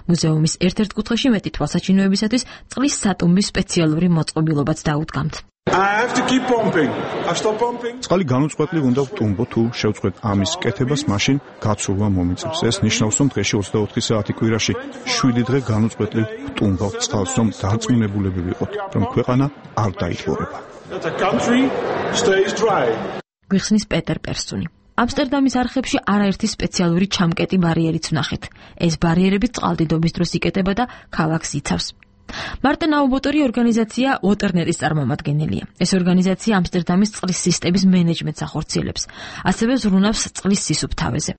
მუზეუმის ერთ-ერთ კუთხეში მეტი თვალსაჩინოებისათვის წყლის სატუმბის სპეციალური მოწყობილობაც დაუდგამთ. წყალი განუწყვეტლი უნდა ვტუმბო, თუ შევწყვეტ ამის კეთებას, მაშინ გაცურვა მომიწევს. ეს ნიშნავს, რომ დღეში 24 საათი კვირაში 7 დღე განუწყვეტლი ვტუმბავთ წყალს, რომ დარწმუნებულები ვიყოთ, რომ ქვეყანა არ დაიტბორება. გვიხსნის პეტერ პერსუნი. ამსტერდამის არხებში არაერთი სპეციალური ჩამკეტი ბარიერიც ვნახეთ. ეს ბარიერები წყალდიდობის დროს იკეტება და ქალაქს იცავს. მარტენ აუბოტორი ორგანიზაცია Waternet-ის წარმომადგენელია. ეს ორგანიზაცია ამსტერდამის წყლის სისტემის მენეჯმენტს ახორციელებს. ასევე ზრუნავს წყლის სისუფთავეზე.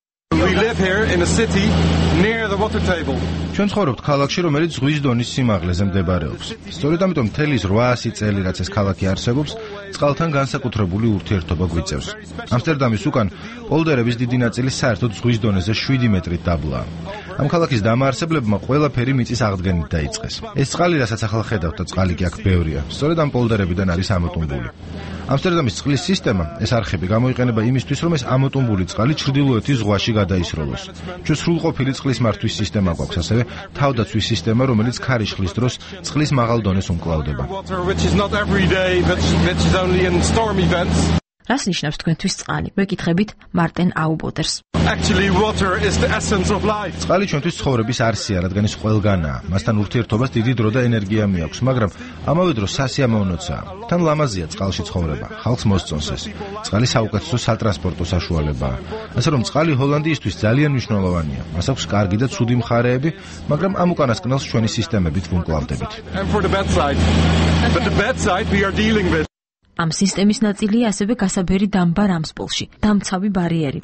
ჩვენ ცხოვრობთ ქალაქში, რომელიც ზღვის დონის სიმაღლეზე მდებარეობს. სწორედ ამიტომ მთელი 800 წელი, რაც ეს ქალაქი არსებობს, წყალთან განსაკუთრებული ურთიერთობა გვიწევს. ამსტერდამის უკან პოლდერების დიდი ნაწილი საერთოდ ზღვის დონეზე 7 მეტრით დაბლაა. ამ ქალაქის დამაარსებლებმა ყველაფერი მიწის აღდგენით დაიწყეს. ეს წყალი, რასაც ახლა ხედავთ და წყალი კი აქ ბევრია, სწორედ ამ პოლდერებიდან არის ამოტუმბული. ამსტერდამის წყლის სისტემა, ეს არხები გამოიყენება იმისთვის, რომ ეს ამოტუმბული წყალი ჩრდილოეთის ზღვაში გადაისროლოს. ჩვენ სრულყოფილი წყლის მართვის სისტემა გვაქვს, ასევე თავდაცვის სისტემა, რომელიც ქარიშხლის დროს წყლის მაღალ დონეს უმკლავდება. რას ნიშნავს თქვენთვის წყალი? ვეკითხებით მარტენ აუბოტერს. წყალი ჩვენთვის ცხოვრების არსია, რადგან ის ყველგანაა. მასთან ურთიერთობას დიდი დრო და ენერგია მიაქვს, მაგრამ ამავე დროს სასიამოვნოა. თან ლამაზია წყალში ცხოვრება, ხალხს მოსწონს ეს. წყალი საუკეთესო სატრანსპორტო საშუალებაა. ასე რომ წყალი ჰოლანდიისთვის ძალიან მნიშვნელოვანია. მას აქვს კარგი და ცუდი მხარეები, მაგრამ ამ უკანასკნელს ჩვენი სისტემებით ვუმკლავდებით. ამ სისტემის ნაწილია ასევე გასაბერი დამბა რამსპოლში, დამცავი ბარიერი.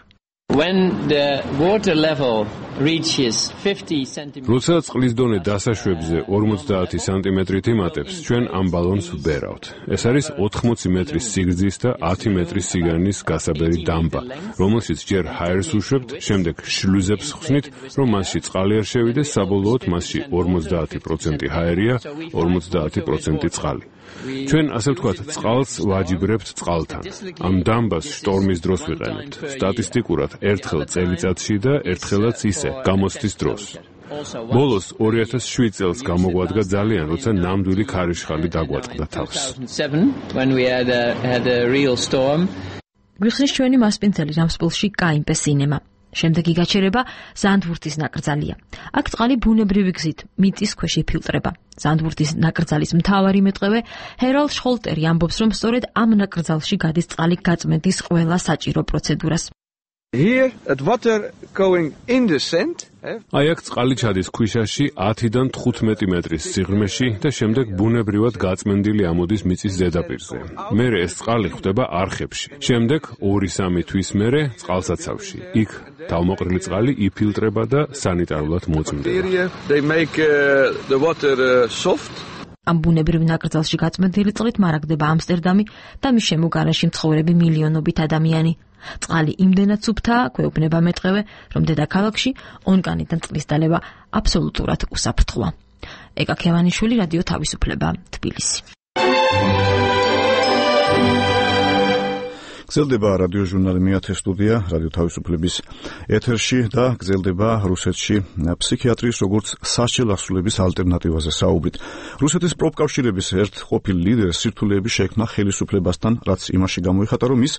როცა წყლის დონე დასაშვებზე 50 სანტიმეტრით იმატებს, ჩვენ ამ ბალონს ვბერავთ. ეს არის 80 მეტრის სიგრძის და 10 მეტრის სიგანის გასაბერი დამბა, რომელშიც ჯერ ჰაერს უშვებთ, შემდეგ შლუზებს ხსნით, რომ მასში წყალი არ შევიდეს, საბოლოოდ მასში 50% ჰაერია, 50% წყალი. ჩვენ ასე ვთქვათ, წყალს ვაჯიბრებთ წყალთან. ამ დამბას შტორმის დროს ვიყენებთ. სტატისტიკურად ერთხელ წელიწადში და ერთხელაც ისე გამოცდის დროს. ბოლოს 2007 წელს გამოგვადგა ძალიან, როცა ნამდვილი ქარიშხალი დაგვაწყდა თავს. გვიხსნის ჩვენი მასპინძელი რამსპოლში კაიმპე სინემა. შემდეგი გაჩერება ზანდვურთის ნაკრძალია. აქ წყალი ბუნებრივი გზით მიწის ქვეშ იფილტრება. ზანდვურთის ნაკრძალის მთავარი მეტყევე ჰერალდ შხოლტერი ამბობს, რომ სწორედ ამ ნაკრძალში გადის წყალი გაწმენდის ყველა საჭირო პროცედურას. აი აქ წყალი ჩადის ქვიშაში 10-დან 15 მეტრის სიღრმეში და შემდეგ ბუნებრივად გაწმენდილი ამოდის მიწის ზედაპირზე. მერე ეს წყალი ხვდება არხებში. შემდეგ 2-3 თვის მერე წყალსაცავში. იქ თავმოყრილი წყალი იფილტრება და სანიტარულად მოწმდება. ამ ბუნებრივ ნაკრძალში გაწმენდილი წყლით მარაგდება ამსტერდამი და მის შემოგარენში მცხოვრები მილიონობით ადამიანი. წყალი იმდენად სუფთაა, გვეუბნება მეტყევე, რომ დედაქალაქში ონკანიდან წყლის დალევა აბსოლუტურად უსაფრთხოა. ეკა ქევანიშვილი, რადიო თავისუფლება, თბილისი. გრძელდება რადიოჟურნალი მეათე სტუდია რადიო თავისუფლების ეთერში და გრძელდება რუსეთში ფსიქიატრიის როგორც სასჯელ ასრულების ალტერნატივაზე საუბრით. რუსეთის პროფკავშირების ერთ ყოფილ ლიდერს სირთულეები შეექმნა ხელისუფლებასთან, რაც იმაში გამოიხატა, რომ ის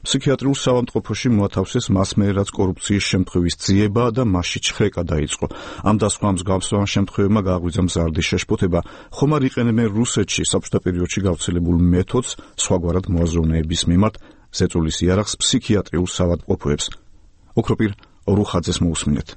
ფსიქიატრიულ საავადმყოფოში მოათავსეს მასმეერ, რაც კორუფციის შემთხვევის ძიება და მასში ჩხრეკა დაიწყო. ამ და სხვა მსგავსავან შემთხვევებმა გააღვიძა მზარდი შეშფოთება. ხომ არ იყენებენ რუსეთში საბჭოთა პერიოდში გავრცელებულ მეთოდს სხვაგვარად მოაზროვნეების მიმართ ზეწოლის იარაღს ფსიქიატრიულ საავადმყოფოებს. ოქროპირ ორუხაძეს მოусმინეთ.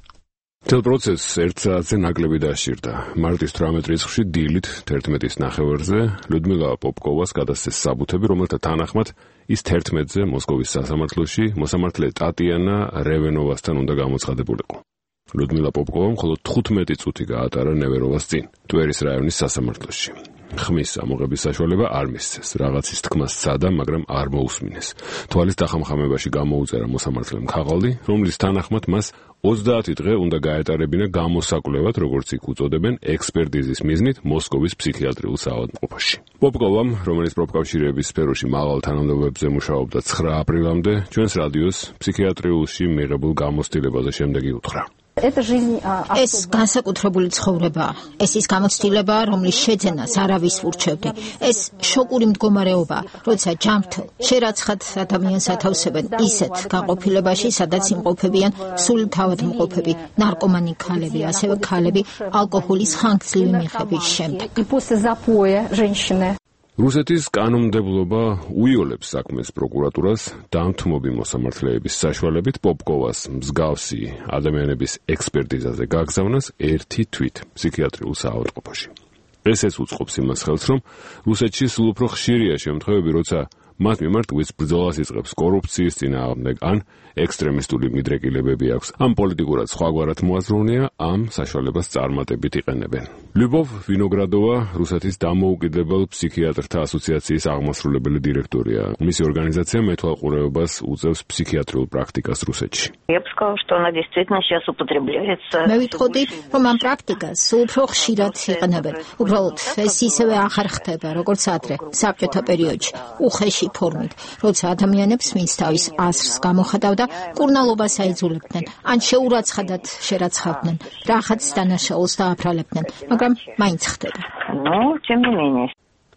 მთელ პროცესს 1 საათზე ნაკლები დასჭირდა. მარტის 18 რიცხვში დილით 11-ის ნახევარზე ლუდმილა პოპკოვას გადასცეს საბუთები, რომელთა თანახმად ის 11-ზე მოსკოვის სასამართლოში მოსამართლე ტატიანა რევენოვასთან უნდა გამოცხადებულიყო. ლუდმილა პოპკოვამ მხოლოდ 15 წუთი გაატარა ნევეროვას წინ, ტვერის რაიონის სასამართლოში. ხმის ამოღების საშუალება არ მისცეს. რაღაცის თქმა სცადა, მაგრამ არ მოусმინეს. თვალის დახამხამებაში გამოუწერა მოსამართლემ ქაღალდი, რომლის თანახმად მას 30 დღე უნდა გაეტარებინა გამოსაკვლევად, როგორც იქ უწოდებენ, ექსპერტიზის მიზნით მოსკოვის ფსიქიატრიულ საავადმყოფოში. პოპკოვამ, რომელიც პროფკავშირების სფეროში მაღალ თანამდებობებზე მუშაობდა 9 აპრილამდე, ჩვენს რადიოს ფსიქიატრიულში მიღებულ გამოცდილებაზე შემდეგი უთხრა. ეს განსაკუთრებული ცხოვრებაა. ეს ის გამოცდილება, რომლის შეძენას არავის ურჩევდი. ეს შოკური მდგომარეობაა, როცა ჯანმრთელ, შერაცხად ადამიანს ათავსებენ ისეთ განყოფილებაში, სადაც იმყოფებიან სული თავადმყოფები, ნარკომანი ქალები, ასევე ქალები ალკოჰოლის ხანგრძლივი მიღების შემდეგ. რუსეთის კანონმდებლობა უიოლებს საქმეს პროკურატურას დამთმობი მოსამართლეების საშუალებით პოპკოვას მსგავსი ადამიანების ექსპერტიზაზე გაგზავნას ერთი თვით ფსიქიატრიულ საავადმყოფოში. ესეც უწყობს იმას ხელს, რომ რუსეთში სულ უფრო ხშირია შემთხვევები, როცა მათ მიმართ ვის ბრძოლას იწყებს კორუფციის წინააღმდეგ ან ექსტრემისტული მიდრეკილებები აქვს. ამ პოლიტიკურად სხვაგვარად მოაზროვნეა, ამ საშუალებას წარმატებით იყენებენ. ლიუბოვ ვინოგრადოვა რუსეთის დამოუკიდებელ ფსიქიატრთა ასოციაციის აღმასრულებელი დირექტორია. მისი ორგანიზაცია მეთვალყურეობას უწევს ფსიქიატრიულ პრაქტიკას რუსეთში. მე ვიტყოდი, რომ ამ პრაქტიკას უფრო ხშირად იყენებენ. უბრალოდ ეს ისევე აღარ ხდება, როგორც ადრე, საბჭოთა პერიოდში, უხეში ფორმით, როცა ადამიანებს, ვინც თავის აზრს გამოხატავდა, კურნალობას აიძულებდნენ, ან შეურაცხადად შერაცხავდნენ, რაღაც დანაშაულს დააფრალებდნენ, მაგრამ მაინც ხდება.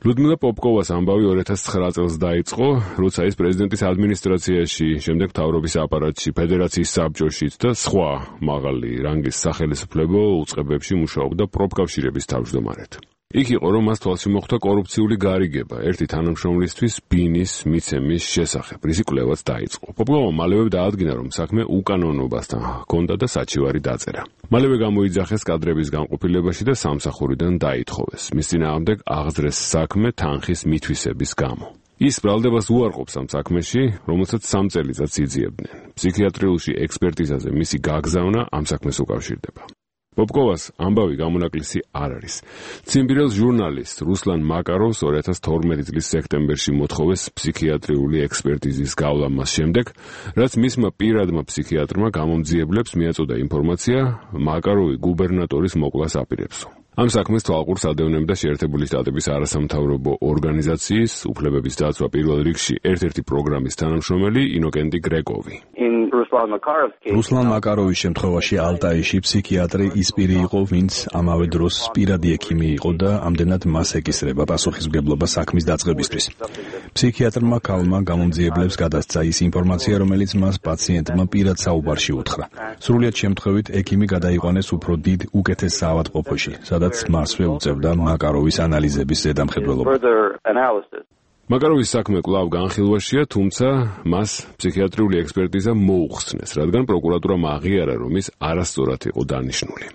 ლუდმილა პოპკოვას ამბავი 2009 წელს დაიწყო, როცა ის პრეზიდენტის ადმინისტრაციაში, შემდეგ მთავრობის აპარატში, ფედერაციის საბჭოშიც და სხვა მაღალი რანგის სახელმწიფო უწყებებში მუშაობდა პროფკავშირების თავმჯდომარედ. იქ იყო, რომ მას თვალში მოხვდა კორუფციული გარიგება ერთი თანამშრომლისთვის ბინის მიცემის შესახებ, რის კვლევაც დაიწყო. პოპკოვამ მალევე დაადგინა, რომ საქმე უკანონობასთან ჰქონდა და საჩივარი დაწერა. მალევე გამოიძახეს კადრების განყოფილებაში და სამსახურიდან დაითხოვეს. მის წინააღმდეგ აღძრეს საქმე თანხის მითვისების გამო. ის ბრალდებას უარყოფს ამ საქმეში, რომელსაც 3 წელიწადს იძიებდნენ. ფსიქიატრიულში ექსპერტიზაზე მისი გაგზავნა ამ საქმეს უკავშირდება. პოპკოვას ამბავი გამონაკლისი არ არის. ციმბირელს ჟურნალისტ რუსლან მაკაროვს 2012 წლის სექტემბერში მოთხოვეს ფსიქიატრიული ექსპერტიზის გავლა მას შემდეგ, რაც მისმა პირადმა ფსიქიატრმა გამომძიებლებს მიაწოდა ინფორმაცია, მაკაროვი გუბერნატორის მოკლას აპირებსო. ამ საქმეს თვალყურს ადევნებდა შეერთებული შტატების არასამთავრობო ორგანიზაციის უფლებების დაცვა პირველ რიგში ერთ-ერთი პროგრამის თანამშრომელი ინოკენტი გრეკოვი. რუსლან მაკაროვის შემთხვევაში ალტაიში ფსიქიატრი ის პირი იყო, ვინც ამავე დროს პირადი ექიმი იყო და ამდენად მას ეკისრება პასუხისმგებლობა საქმის დაწყებისთვის. ფსიქიატრმა ქალმა გამომძიებლებს გადასცა ის ინფორმაცია, რომელიც მას პაციენტმა პირად საუბარში უთხრა. სრულიად შემთხვევით ექიმი გადაიყვანეს უფრო დიდ უკეთეს საავადმყოფოში, სადაც მასვე უწევდა მაკაროვის ანალიზების ზედამხედველობა. მაკაროვის საქმე კვლავ განხილვაშია, თუმცა მას ფსიქიატრიული ექსპერტიზა მოუხსნეს, რადგან პროკურატურამ აღიარა, რომ ის არასწორად იყო დანიშნული.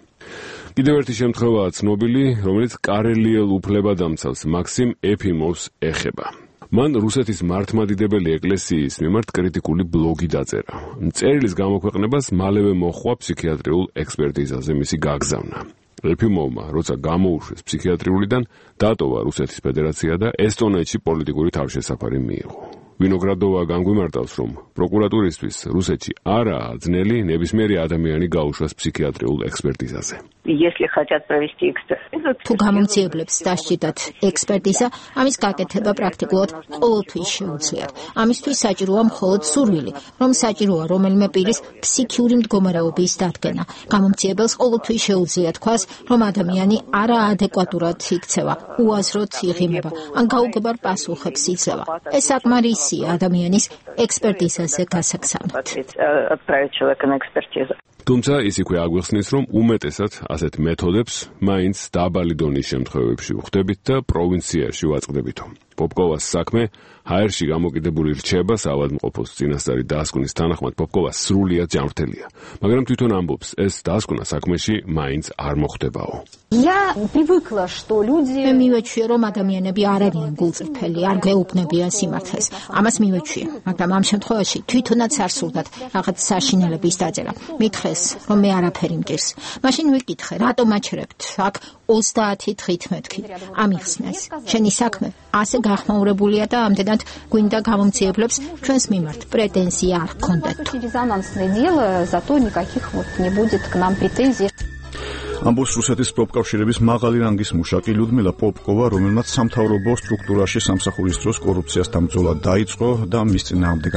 კიდევ ერთი შემთხვევაა ცნობილი, რომელიც კარელიელ უფლებადამცავს მაქსიმ ეფიმოვს ეხება. მან რუსეთის მართლმადიდებელი ეკლესიის მიმართ კრიტიკული ბლოგი დაწერა. წერილის გამოქვეყნებას მალევე მოჰყვა ფსიქიატრიულ ექსპერტიზაზე მისი გაგზავნა. ეფიმოვმა, როცა გამოუშვეს ფსიქიატრიულიდან, დატოვა რუსეთის ფედერაცია და ესტონეთში პოლიტიკური თავშესაფარი მიიღო. ვინოგრადოვა განგვიმარტავს, რომ პროკურატურისთვის რუსეთში არაა ძნელი ნებისმიერი ადამიანი გაუშვას ფსიქიატრიულ ექსპერტიზაზე. თუ გამომძიებლებს დასჭირდათ ექსპერტიზა, ამის გაკეთება პრაქტიკულად ყოველთვის შეუძლიათ. ამისთვის საჭიროა მხოლოდ სურვილი, რომ საჭიროა რომელიმე პირის ფსიქიური მდგომარეობის დადგენა. გამომძიებელს ყოველთვის შეუძლია თქვას, რომ ადამიანი არაადეკვატურად იქცევა, უაზროდ იღიმება, ან გაუგებარ პასუხებს იძლევა. ეს冊მარისია ადამიანის ექსპერტიზაზე გასაგზავნად. თუმცა ის იქვე აგვიხსნის, რომ უმეტესად ასეთ მეთოდებს მაინც დაბალი დონის შემთხვევებში ვხვდებით და პროვინციაში ვაწყდებითო. პოპკოვას საქმე ჰაერში გამოკიდებული რჩება საავადმყოფოს წინასწარი დასკვნის თანახმად პოპკოვა სრულიად ჯანმრთელია, მაგრამ თვითონ ამბობს, ეს დასკვნა საქმეში მაინც არ მოხდებაო. მე მივეჩვია, რომ ადამიანები არ არიან გულწრფელი, არ გვეუბნებიან სიმართლეს. ამას მივეჩვია, მაგრამ ამ შემთხვევაში თვითონაც არ სურდათ რაღაც საშინელების დაწერა. მითხრეს, რომ მე არაფერი მჭირს. მაშინ ვიკითხე, რატომ აჩერებთ აქ 30 დღით მეთქი. ამიხსნეს, შენი საქმე ასე გახმაურებულია და ამდენად გვინდა გამომძიებლებს ჩვენს მიმართ პრეტენზია არ გქონდეთ. ამბობს რუსეთის პროფკავშირების მაღალი რანგის მუშაკი ლიუდმილა პოპკოვა, რომელმაც სამთავრობო სტრუქტურაში სამსახურის დროს კორუფციასთან ბრძოლა დაიწყო და მის წინააღმდეგ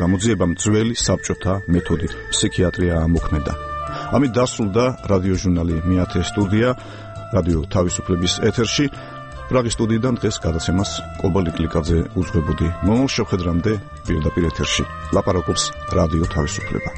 გამოძიებამ ძველი საბჭოთა მეთოდით ფსიქიატრია ამოქმედა. ამით დასრულდა რადიოჟურნალი მეათე სტუდია რადიო თავისუფლების ეთერში. პრაღის სტუდიიდან დღეს გადაცემას კობალი კლიკაძე უძღვებოდი. მომავალ შეხვედრამდე პირდაპირ ეთერში ლაპარაკობს რადიო თავისუფლება.